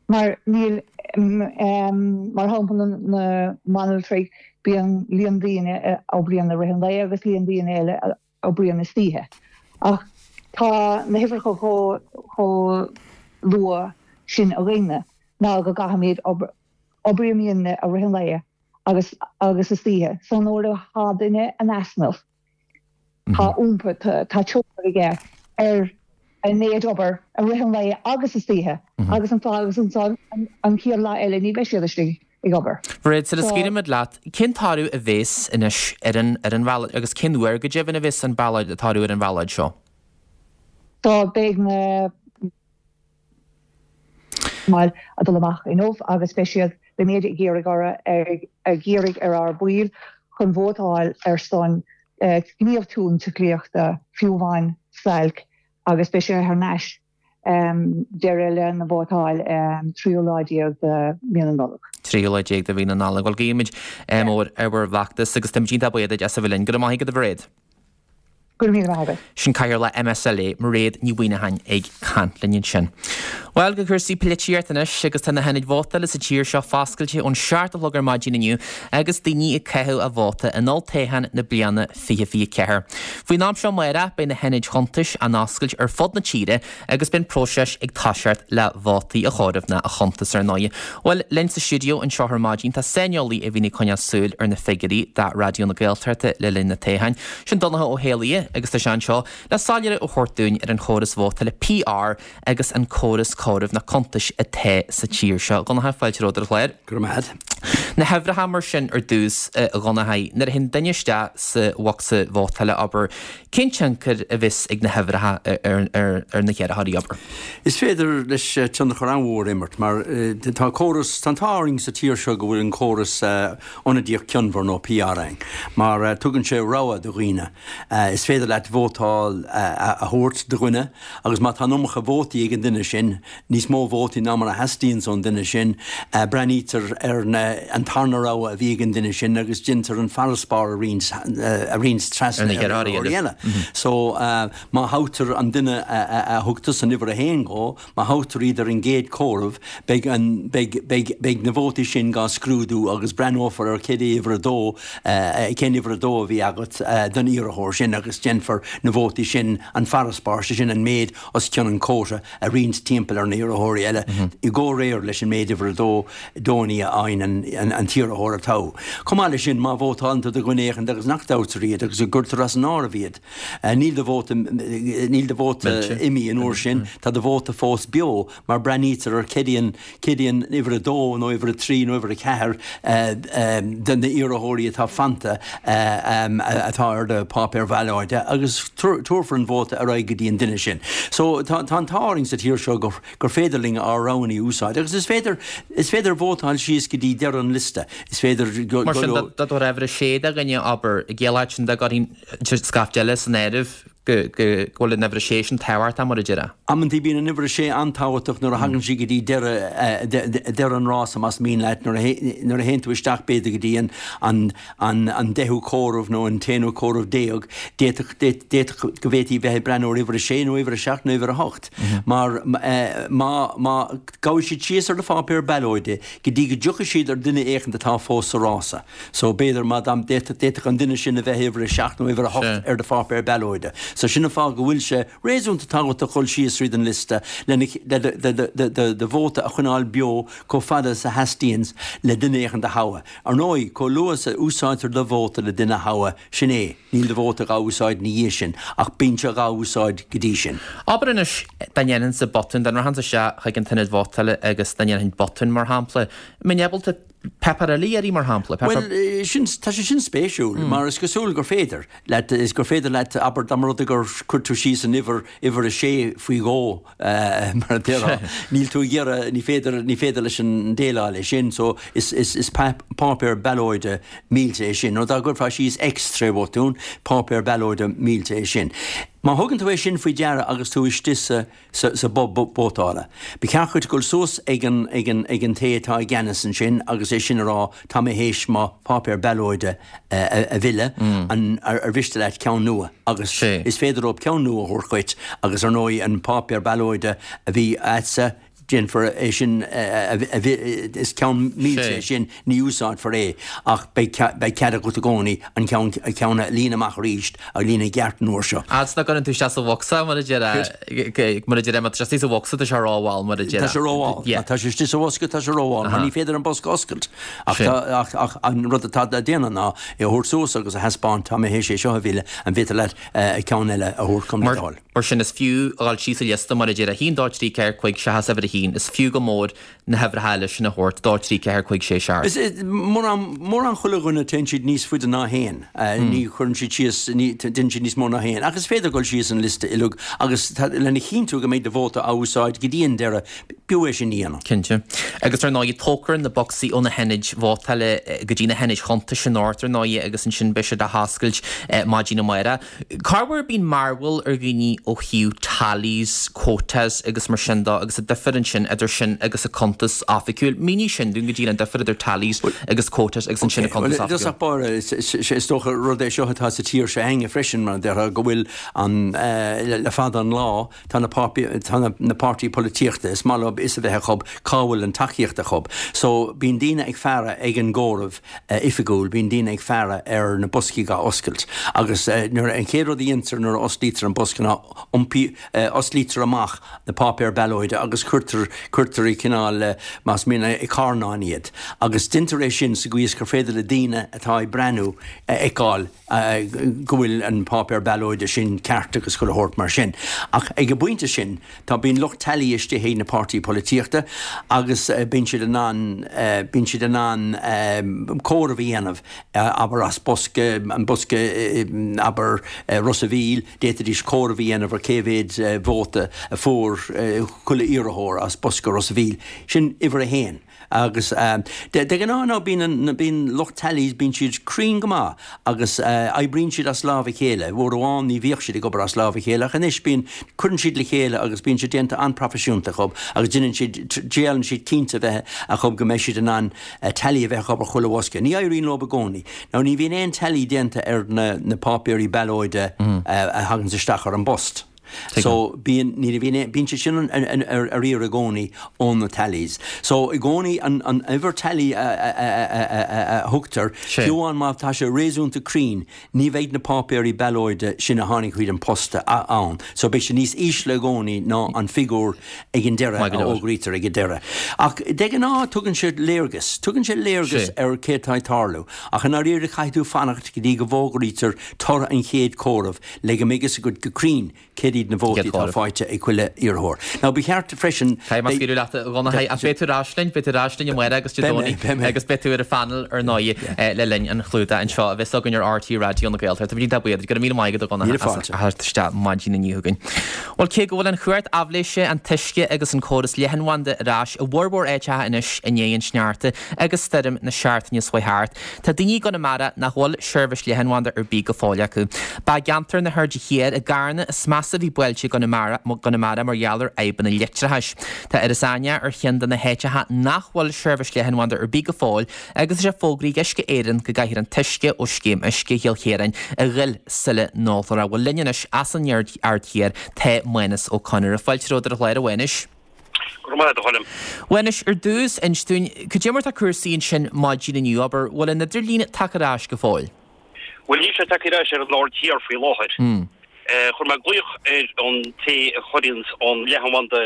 Mar níl, mar shampla na mbanaltraí, bíonn líon daoine a oibríonn i rith an lae agus líon daoine eile a oibríonn istoíche. Ach tá na huimhreacha chomh luath sin againne ná go gcaithfimid obair, oibrímidne i rith an lae agus agus istoíche. So nuair atá duine in easnamh, Tá iompar, tá tionchar aige ar an méid obair i rith an lae agus istoíche agus an fáth agus ansan an chéad lá eile ní bheidh siad istigh ag obair. Mairéad, sula scaoilimid leat, cén toradh a bheas anois ar an ar an bhallóid agus cén uair go deimhin a bheas an ballóid, toradh ar an bhallóid seo? So beidh na. baill ag dul amach inniu agus beidh siad, beimid ag iarraidh orthu, ag iarraidh ar ár baill chun vótáil ar son gníomh tionsclaíochta, fiú amháin stailc agus beidh sé thar n-ais deireadh le na vótáil tríú lá déag de mhí na Nollag. Tríú lá déag de mhí na Nollag. Bhuel, guímid ádh mór ar bhur bhfeachtas agus táimid iontach buíoch duit as a bheith linn. Go raibh maith agat a Mhairéad. Go raibh míle maith agat. Sin Cathaoirleach MSLA, Mairéad Ní Mhuimhneacháin ag caint linn ansin. Bhuel, go cúrsaí polaitíochta anois agus tá na hionaid vótála sa tír seo foscailte ón seacht a chlog ar maidin inniu agus daoine ag caitheamh a vóta in olltoghchán na bliana fiche fiche ceathair. Faoin am seo amárach beidh na hionaid chuntais á n-oscailt ar fud na tíre agus beidh an próiseas ag toiseacht le vótaí a chomhaireamh ná a chuntas ar ndóigh. Bhuel, linn sa stiúideo anseo ar maidin tá saineolaí a bhíonn ag coinneáil súil ar na figiúirí do Raidió na Gaeltachta le linn na toghcháin. Sin Donncha Ó hÉallaithe agus tá sé anseo le soiléiriú a thabhairt dúinn ar an chóras vótála PR agus an córas comhairimh na cuntais atá sa tír seo. A Dhonncha, fáilte romhat ar an chlár. Go raibh maith agat. Na huimhreacha mar sin ar dtús, a Dhonncha, nuair a théann duine isteach sa bhocsa vótála, abair, cén tionchar a bheas ag na huimhreacha ar na hiarrthóirí, abair? Is féidir leis tionchar an-mhór a imirt mar tá córas, tá an t-ádh orainn sa tír seo go bhfuil an córas ionadaíoch cionmhar nó PR ann mar tugann sé rogha do dhaoine. Is féidir leat vótáil a thabhairt do dhuine agus má tá an iomarca vótaí ag an duine sin níos mó vótaí ná mar a theastaíonn ón duine sin, breathnaítear ar na, an tarna rogha a bhí ag an duine sin agus déantar an farasbarr a roinnt, a roinnt trasna ar na hiarrthóirí eile. So, má thoghtar an duine a thug tusa an uimhir a haon dhó, má thoghtar iad ar an gcéad chomhaireamh, beidh an, beidh, beidh, beidh na vótaí sin dhá scrúdú agus breathnófar ar cé uimhir a dó, cén uimhir a dó a bhí agat don iarrthóir sin agus déanfar na vótaí sin, an farasbarr, sé sin an méid os cionn an quota, a roinnt timpeall ar na hiarrthóirí eile i gcomhréir leis an méid uimhir a dó dónnaí a fhaigheann an t-iarrthóir a toghadh. Chomh maith leis sin, má vótálann tú do dhuine éicint agus nach dtoghtar iad agus go gcuirtear as an áireamh iad, níl do vóta, níl do vóta imithe an uair sin, tá do vóta fós beo mar breathnaítear ar céard í an, céard í an uimhir a dó nó uimhir a trí nó uimhir a ceathair de na hiarrthóirí atá fanta atá ar do pháipéar ballóide agus tabharfar an vóta ar aghaidh go dtí an duine sin. So tá an t-ádh orainn sa tír seo gur féidir linn ár roghanna a úsáid agus is féidir, is féidir vótáil síos go dtí deireadh an liosta. Is féidir go. Mar sin dá dtabharfá uimhir a sé do dhuine, abair, i gciall sin dá gcuirfinn scaifte eile san áireamh go bhfuil an uimhir a sé sin tábhachtach mar a déarfá. Amantaí bíonn an uimhir a sé an-tábhachtach nuair a thagann sí go dtí deireadh, deireadh an rása más mian leat, nuair a théann tú isteach b'fhéidir go dtí an, an an deichiú comhaireamh nó an t-aonú comhaireamh déag, d'fhéadfadh d'fhéadfadh go bhféadfaí bheith ag breathnú ar uimhir a sé nó uimhir a seacht nó uimhir a hocht. Mar má má gabhfaidh siad síos ar do pháipéar ballóide go dtí go dtiocfaidh siad ar duine éicint atá fós sa rása. So b'fhéidir má d'fhéadfadh d'fhéadfadh an duine sin a bheith uimhir a seacht nó uimhir a hocht ar do pháipéar ballóide. So sin an fáth go bhfuil sé réasúnta tábhachtach dul síos tríd an liosta lena le do do do vóta a choinneáil beo chomh fada is a theastaíonns le duine éicint a thoghadh. Ar ndóigh, chomh luath is a úsáidtear do vóta le duine a thoghadh, sin é, níl do vóta dhá úsáid ina dhiaidh sin, ach bíonn sé dhá úsáid go dtí sin. Abair anois, dá ndéanfainnse botún, dá rachainnse isteach chuig an t-ionad vótála agus dá ndéanfainn botún, mar shampla, mbeinn ábalta páipéar eile a iarraidh, mar shampla, páipéar. Bhuel, sin, tá sé sin spéisiúil, mar is cosúil gur féidir leat, is gur féidir leat, abair, dá mba rud é gur chuir tú síos an uimhir, uimhir a sé faoi dhó, mar a déarfá, níl tú ag iarraidh, ní féidir, ní féidir leis an déileáil leis sin, so is, is, is páipéar ballóide millte é sin. Nó dá gcuirfeá síos X tré bhotún, páipéar ballóide millte é sin. Má thugann tú é sin faoi deara agus tú istigh sa, sa, sa both vótála, ba cheart duit dul suas ag an, ag an, ag an té atá i gceannas ansin agus é sin a rá, tá mé théis mo pháipéar ballóide a, a mhilleadh, an, ar, ar mhiste leat ceann nua? Agus is féidir leo ceann nua a thabhairt dhuit agus ar ndóigh an páipéar ballóide a bhí a'dsa, déanfar é sin a is ceann millte é sin, ní úsáidfear é ach beidh cead agat i gcónaí an ceann a líonadh amach arís a líonadh i gceart an uair seo. Fhad 's nach gcuireann tú isteach sa bhocsa mar a déarfá, mar a déarfá má tá sé istigh sa bhocsa tá sé rómhall mar a déarfá. Tá sé rómhall. Má tá sé istigh sa bhosca tá sé rómhall mar ní féidir an bosca a oscailt. Ach ach an rud atá le déanamh ná é a thabhairt suas agus a thaispeáint tá mé théis é seo a mhilleadh, an bhféidir leat ceann eile a thabhairt chugam le do thoil. Mar sin, is fiú a dhul síos an liosta mar a deir a haon, dó, trí, ceathair, cúig, seachas uimhir a haon. Is fiú go mór na huimhreacha eile sin a thabhairt, dó, trí, ceathair, cúig, sé, seacht. Is mórán, mórán chuile dhuine téann siad níos faide ná a haon. Ní chuireann siad síos, ní, déanann siad níos mó ná a haon. Ach is féidir dul síos an liosta uilig agus tá, lena chinntiú go mbeidh do vóta á úsáid go dtí an deireadh, b'fhiú é sin a dhéanamh. Cinnte. Agus ar ndóigh, tógfar na bocsaí ó na hionaid vótála go dtí na hionaid chuntais anocht ar ndóigh agus ansin beidh siad á hoscailt maidin amárach. Corruair bíonn mearbhall ar dhaoine ó thaobh tallies, quotas agus mar sin de agus an difear ansin idir sin agus an cuntas oifigiúil. Mínigh sin dúinn go díreach, an difear idir tallies agus quotas agus ansin an cuntas oifigiúil. I dtosach báire, is dócha rud é seo atá sa tír seo againne freisin mar a déarfá go bhfuil an, le fada an lá, tá na tá na páirtí polaitíochta, is maith leo fhios a bheith acu cá bhfuil an tacaíocht acu. So bíonn daoine ag faire ag an gcomhaireamh oifigiúil, bíonn daoine ag faire ar na boscaí dhá oscailt agus nuair an chéad rud a dhéantar nuair a osclaítear an bosca ná iompaí, osclaítear amach na páipéir ballóide agus cuirtear, cuirtear i cineál, más mian, i carnáin iad agus deintear é sin sa gcaoi is gur féidir le daoine atá ag breathnú a fheiceáil go bhfuil an páipéar ballóide sin ceart agus chuile shórt mar sin. Ach ag an bpointe sin, tá, bíonn lucht tally istigh ag na páirtí polaitíochta agus bíonn siad in ann, bíonn siad in ann comhaireamh a dhéanamh, abair as bosca, an bosca, abair, Ros a' Mhíl, d'fhéadfaidís comhaireamh a dhéanamh ar cé mhéad vóta a fuair chuile iarrthóir as bosca Ros a' Mhíl. Sin uimhir a haon. Agus de ghnáth ná bíonn bíonn lucht tallies bíonn siad cruinn go maith agus oibríonn siad as lámh a chéile. Uair amháin ní bhíodh siad ag obair as lámh a chéile ach anois bíonn cuireann siad le chéile agus bíonn siad déanta an-proifisiúnta acu agus déanann siad déanann siad cinnte bheith acu go mbeidh siad in ann tally a bheith acu ar chuile bhosca. Ní éiríonn leo i gcónaí. Now ní bhíonn aon tally déanta ar na na páipéirí ballóide a thagann isteach ar an bpost. So bíonn ní bhíonn bíonn sé sin ar ar iarraidh i gcónaí ó na tallies. So i gcónaí an an uimhir tally a a thugtar, fiú amháin má tá sé réasúnta cruinn, ní bheidh na páipéirí ballóide sin a tháinig chuig an post ann. So beidh sé níos ísle i gcónaí ná an figiúr ag an deireadh a fhógraítear ag an deireadh. Ach de ghnáth tugann sé léargas, tugann sé léargas ar céard atá ag tarlú. Ach i ndáiríre caithfidh tú fanacht go dtí go bhfógraítear toradh an chéad chomhairimh le go mbeidh fhios agat go cruinn céard iad na vótaí atá faighte ag chuile iarrthóir. Now ba cheart freisin. Caithfidh mé scaoileadh leat a Dhonncha, ach beidh tú ar ais linn, beidh tú ar ais linn amárach agus Dé Domhnaigh agus beidh tú ar an phainéal ar ndóigh le linn an chlúdaigh anseo a bheas againn ar RTÉ Raidió na Gaeltachta. Tá muid iontach buíoch duit, go raibh míle maith agat a Dhonncha as a theacht isteach maidin inniu chugainn. Bhuel cé go bhfuil an chumhacht aibhléise, an t-uisce agus an córas leathanbhanda ar ais i bhformhór áiteacha anois i ndiaidh an sneachta agus stoirm na seachtaine seo chuaigh thart, tá daoine i gConamara nach bhfuil seirbhís leathanbhanda ar bith go fóill acu. Ba i gceantar na hAirde Thiar i gCarna is measa a bhí buailte i gConamara mar gheall ar fhadhbanna leictreachais. Tá Iorras Aithneach ar cheann de na háiteacha nach bhfuil seirbhís leathanbhanda ar bith go fóill agus tá sé fógraithe ag Uisce Éireann go gcaithfear an t-uisce ó Scéim Uisce Chill Chiaráin a dh'fhuil sula n-ólfar é. Bhuel linn anois as an Aird Thiar tá Mánas Ó Conaire. Fáilte romhat ar an chlár, a Mhánuis. Go raibh maith agat, a Choilm. A Mhánuis, ar dtús, inis dúinn, cad é mar tá cúrsaí ansin maidin inniu, abair, bhfuil an idirlíon tagtha ar ais go fóill? Bhuel, níl sé tagtha ar ais ar an Aird Thiar faoi láthair. Chuir mé glaoch ar an té a chuireanns an leathanbhanda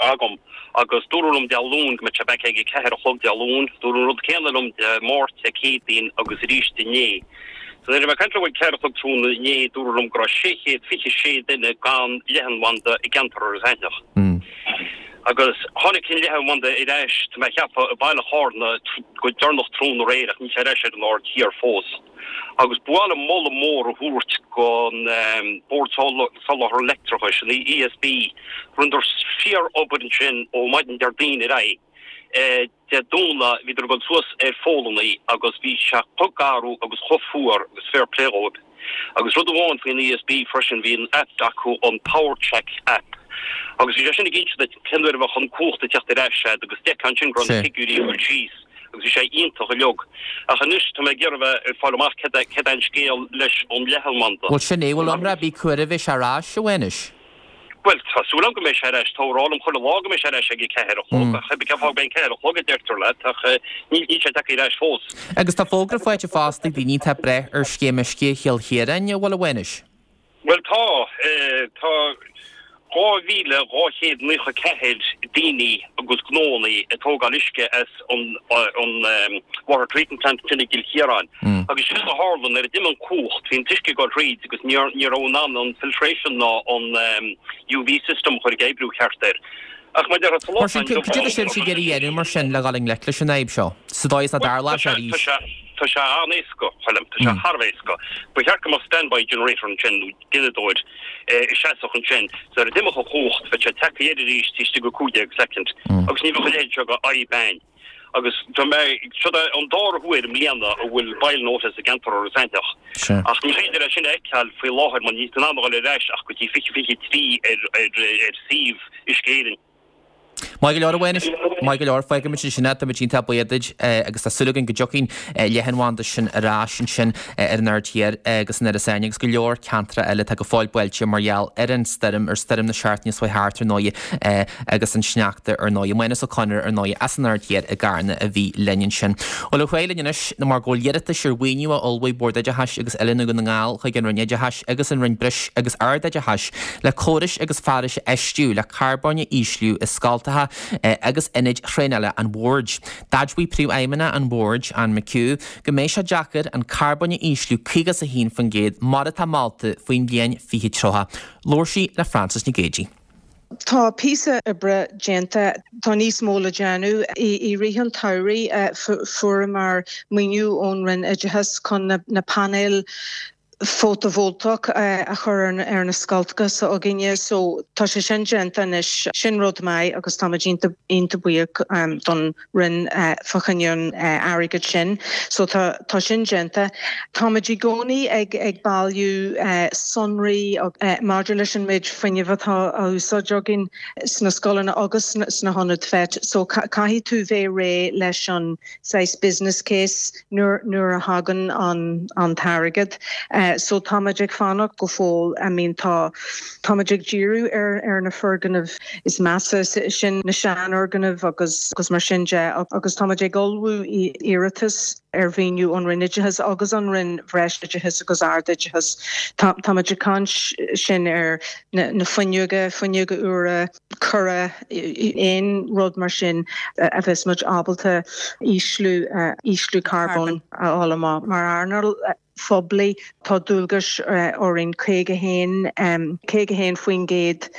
agam agus dúradh liom Dé Luain go mbeadh sé back ag a ceathair a chlog Dé Luain. Dúradh an rud céanna liom Dé Máirt, Dé Céadaoin agus arís inné. So nuair a bhí mé ag caint leo ag ceathair a chlog tráthnóna inné, dúradh liom go raibh sé chéad fiche sé duine gan leathanbhanda i gceantar Iorras Aithneach. Agus tháinig an leathanbhanda ar ais, tá mé a cheapadh, i baile Chárna go deireanach tráthnóna aréir ach níl sé ar ais ar an Aird Thiar fós. Agus ba mhaith liom moladh mór a thabhairt don Bord Soláthar Leictreachais, an ESB, rinneadar fíor-obair ansin ó maidin Déardaoin ar aghaidh. Dé Domhnaigh bhíodar ag dul suas ar pholannaí agus bhí sé chomh garbh agus chomh fuar agus fair play dhóibh. Agus rud amháin faoin ESB freisin, bhí an aip acu, an Power Check app, agus bhí sé sin ag inse duit cén uair a bheadh an cumhacht ag teacht ar ais agat agus d'fheicfeá ansin go raibh na figiúirí ag dul síos agus bhí sé iontach uilig. Ach anois tá mé ag iarraidh a bheith ag fáil amach céard é céard é an scéal leis an leathanbhanda. Bhuel sin é, bhfuil iomrá ar bith cá huair a bheidh sé ar ais, a Mhánuis? Bhuel, tá súil agam go mbeidh sé ar ais. Táthar ag rá liom chuile lá go mbeidh sé ar ais ag a ceathair a chlog, ach cén fáth go mbeidh an ceathair a chlog a deirtear leat, ach níl sé tagtha ar ais fós. Agus tá fógra faighte fosta ag daoine atá ag brath ar Scéim Uisce Chill Chiaráin, an bhfuil, a Mhánuis? Bhuel, tá. Tá dhá mhíle dhá chéad naocha ceathair daoine agus gnóannaí ag tógáil uisce as an water treatment plant ansin i gCill Chiaráin. Agus séard a tharla, nuair a d'imigh an cumhacht, bhí an t-uisce ag dul thríd agus ní raibh in ann an filtration ná an UV system a chur ag oibriú ceart air. Ach mar a déarfá sa lá Mar sin, cad é atá sibhse ag iarraidh a dhéanamh mar sin le dhul i ngleic leis an fhadhb seo, sa dóigh is nach dtarlódh sé arís? Tá sé an-éasca, a Choilm, tá sé thar a bheith éasca. Ba cheart go mbeadh standby generator ansin nó gineadóir a sheasfadh ansin so nuair a d'imeodh an chumhacht bheadh sé tagtha air arís taobh istigh de cúig déag soicind agus ní bheadh a leithéid seo de fhadhb ann. Agus tá mé, seo é an dara huair i mbliana a bhfuil boil notice i gceantar Iorras Aithneach. Ach ní féidir é sin a fheiceáil faoi láthair mar níl tú in ann a dhul ar ais ach go dtí fiche fiche trí ar ar suíomh Uisce Éireann. Maith go leor, a Mhánuis, maith go leor, fágfaimid ansin é, táimid iontach buíoch duit agus tá súil againn go dtiocfaidh an leathanbhanda sin ar ais ansin ar an Aird Thiar agus in Iorras Aithneach agus go leor ceantracha eile atá go fóill buailte mar gheall ar an stoirm, ar stoirm na seachtaine seo thart ar ndóigh agus an sneachta ar ndóigh. Mánas Ó Conaire ar ndóigh as an Aird Thiar i gCarna a bhí linn ansin. Bhuel, ar aghaidh linn anois nó mar go bhfuil iarratais ar mhaoiniú a ullmhaigh Bord Oideachais agus Oiliúna Dhún na nGall chuig an Roinn Oideachais agus an Roinn Breis agus Ardoideachais le córais agus fearais a fheistiú le carbóin a ísliú i scoltacha agus ionaid thraenála an Bhoird. D'admhaigh Príomhfheidhmeannach an Bhoird, Anne McHugh, go mbeidh sé deacair an carbóin a ísliú caoga is a haon faoin gcéad mar atá molta faoin bhliain fiche tríocha. Labhair sí le Frances Nic Géadaigh. Tá píosa oibre déanta, tá níos mó le déanamh. I rith an tsamhraidh fuaireamar maoiniú ón Roinn Oideachais chun na painéil fótavoltach a chur ar na scoltacha s'againne so tá sé sin déanta anois sin rud maith agus táimid iontach buíoch don Roinn fá choinne an airgead sin so tá tá sin déanta. Táimid i gcónaí ag ag bailiú sonraí maidir leis an méid fuinnimh atá á úsáid againn sna scoileanna agus sna hionaid FET so caithfidh tú bheith réidh leis an saghas business case nuair nuair a thagann an an t-airgead. So táimid ag fanacht go fóill I mean tá táimid ag díriú ar ar na foirgnimh is measa sin na seanfhoirgnimh agus agus mar sin de agus táimid ag ullmhú iarratas ar mhaoiniú ón Roinn Oideachais agus an Roinn Bhreisoideachais agus Ardoideachais. Táimid ag caint sin ar na na fuinneoga, fuinneoga úra, cora, aon rud mar sin a bheas muid ábalta ísliú ísliú carbóin a fháil amach mar earnáil phoiblí. Tá dualgas orainn caoga haon caoga haon faoin gcéad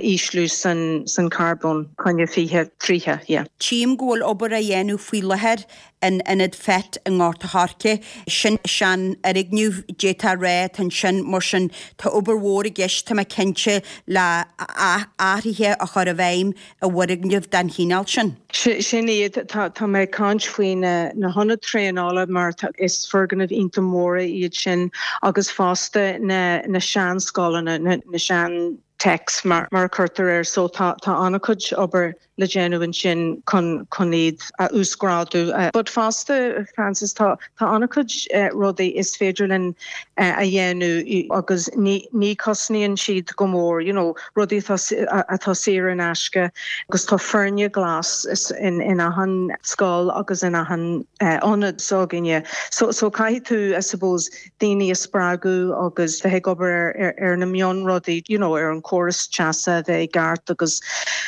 ísliú san san carbón coinne fiche tríocha, yeah. Tchím go bhfuil obair á dhéanamh faoi láthair in ionad FET i nGort a' Choirce. Sin seanfhoirgneamh, d'fhéadfá a rá, atá ansin, mar sin tá obair mhór i gceist, tá mé cinnte, le athruithe a chur i bhfeidhm i bhfoirgneamh den chineál sin. Sin iad, tá mé ag caint faoi na hionaid traenála mar is foirgnimh iontach móra iad sin agus fosta na seanscoileanna, na sean techs mar a chuirtear air so tá an-chuid obair le déanamh ansin chun chun iad a uasghrádú. But fosta Francis tá tá an-chuid rudaí is féidir linn a dhéanamh agus ní ní cosnaíonn siad go mór you know rudaí atá atá saor in aisce agus tá foirne glas in in achan scoil agus in achan ionad s'againne. So so caithfidh tú I suppose daoine a spreagadh agus bheith ag obair ar ar na mionrudaí you know ar an córas teasa a bheith i gceart agus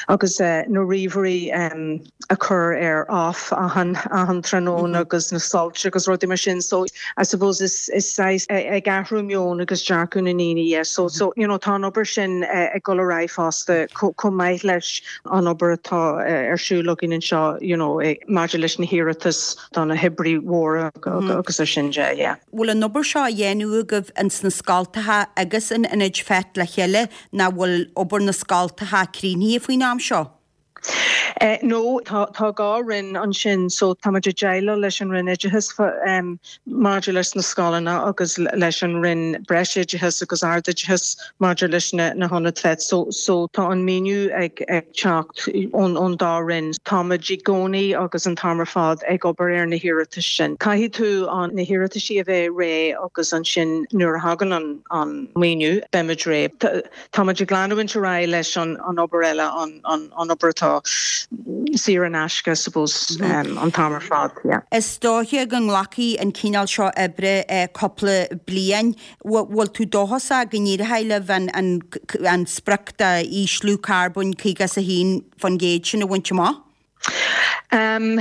agus na ríomhairí a chur ar off achan achan tráthnóna agus na soilse agus rudaí mar sin so I suppose is is saghas ag athrú meon agus dearcadh na ndaoine yeah so so you know tá an obair sin ag dul ar aghaidh fosta chomh maith leis an obair atá ar siúl againn anseo you know maidir leis na hiarratais do na hoibrí mhóra agus ar sin de yeah. Bhfuil an obair seo á dhéanamh agaibh ins na scoltacha agus in ionaid FET le chéile nó bhfuil obair na scoltacha críochnaithe faoin am seo? No, tá tá dhá roinn ansin so táimid ag déileáil leis an Roinn Oideachais maidir leis na scoileanna agus leis an Roinn Breisoideachais agus Ardoideachais maidir leis na na hionaid FET. So so tá an maoiniú ag ag teacht ón ón dá roinn. Táimid i gcónaí agus an t-am ar fad ag obair ar na hiarratais sin. Caithfidh tú an na hiarrataisí a bheith réidh agus ansin nuair a thagann an an maoiniú beimid réidh. Táimid ag leanúint ar aghaidh leis an an obair eile an an an obair atá saor in aisce I suppose an t-am ar fad, yeah. Is dóiche go nglacfaidh an cineál seo oibre cúpla bliain. Bhfuil tú dóchasach go n-éireoidh libh an an sprioc d'ísliú carbóin caoga is a haon faoin gcéad sin a bhaint amach? Um,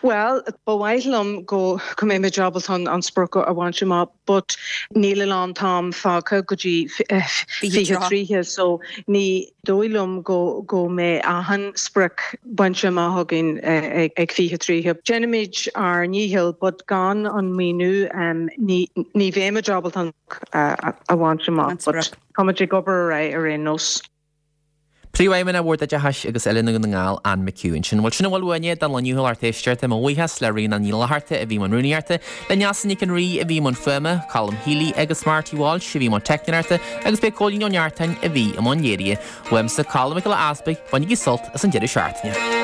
well, ba mhaith liom go go mbeimid ábalta an, an sprioc a bhaint amach, but níl a lán t-am fágtha go dtí fiche tríocha, so ní dóigh liom go go mbeidh achan sprioc bainte amach againn ag, ag fiche tríocha. Déanaimid ár ndícheall, but gan an maoiniú um, ní, ní bheimid ábalta an uh, a bhaint amach, but táimid ag obair ar aghaidh ar aon nós. Príomhfheidhmeannach Bhord Oideachais agus Oiliúna Dhún na nGall, Anne McHugh ansin. Bhuel sin a bhfuil uainne don lá inniu a lucht éisteachta. Mo bhuíochas le Ríona Ní Fhlatharta a bhí i mbun rúnaíochta, le Neasa Nic an Rí a bhí i mbun fuaime, Colm Healy agus Marty Walsh a bhí i mbun teicneoireachta agus b'é Cóilín Ó Neachtain a bhí i mbun léirithe. Uaimse Colm Mac Giolla Easpaig, bainigí sult as an deireadh seachtaine.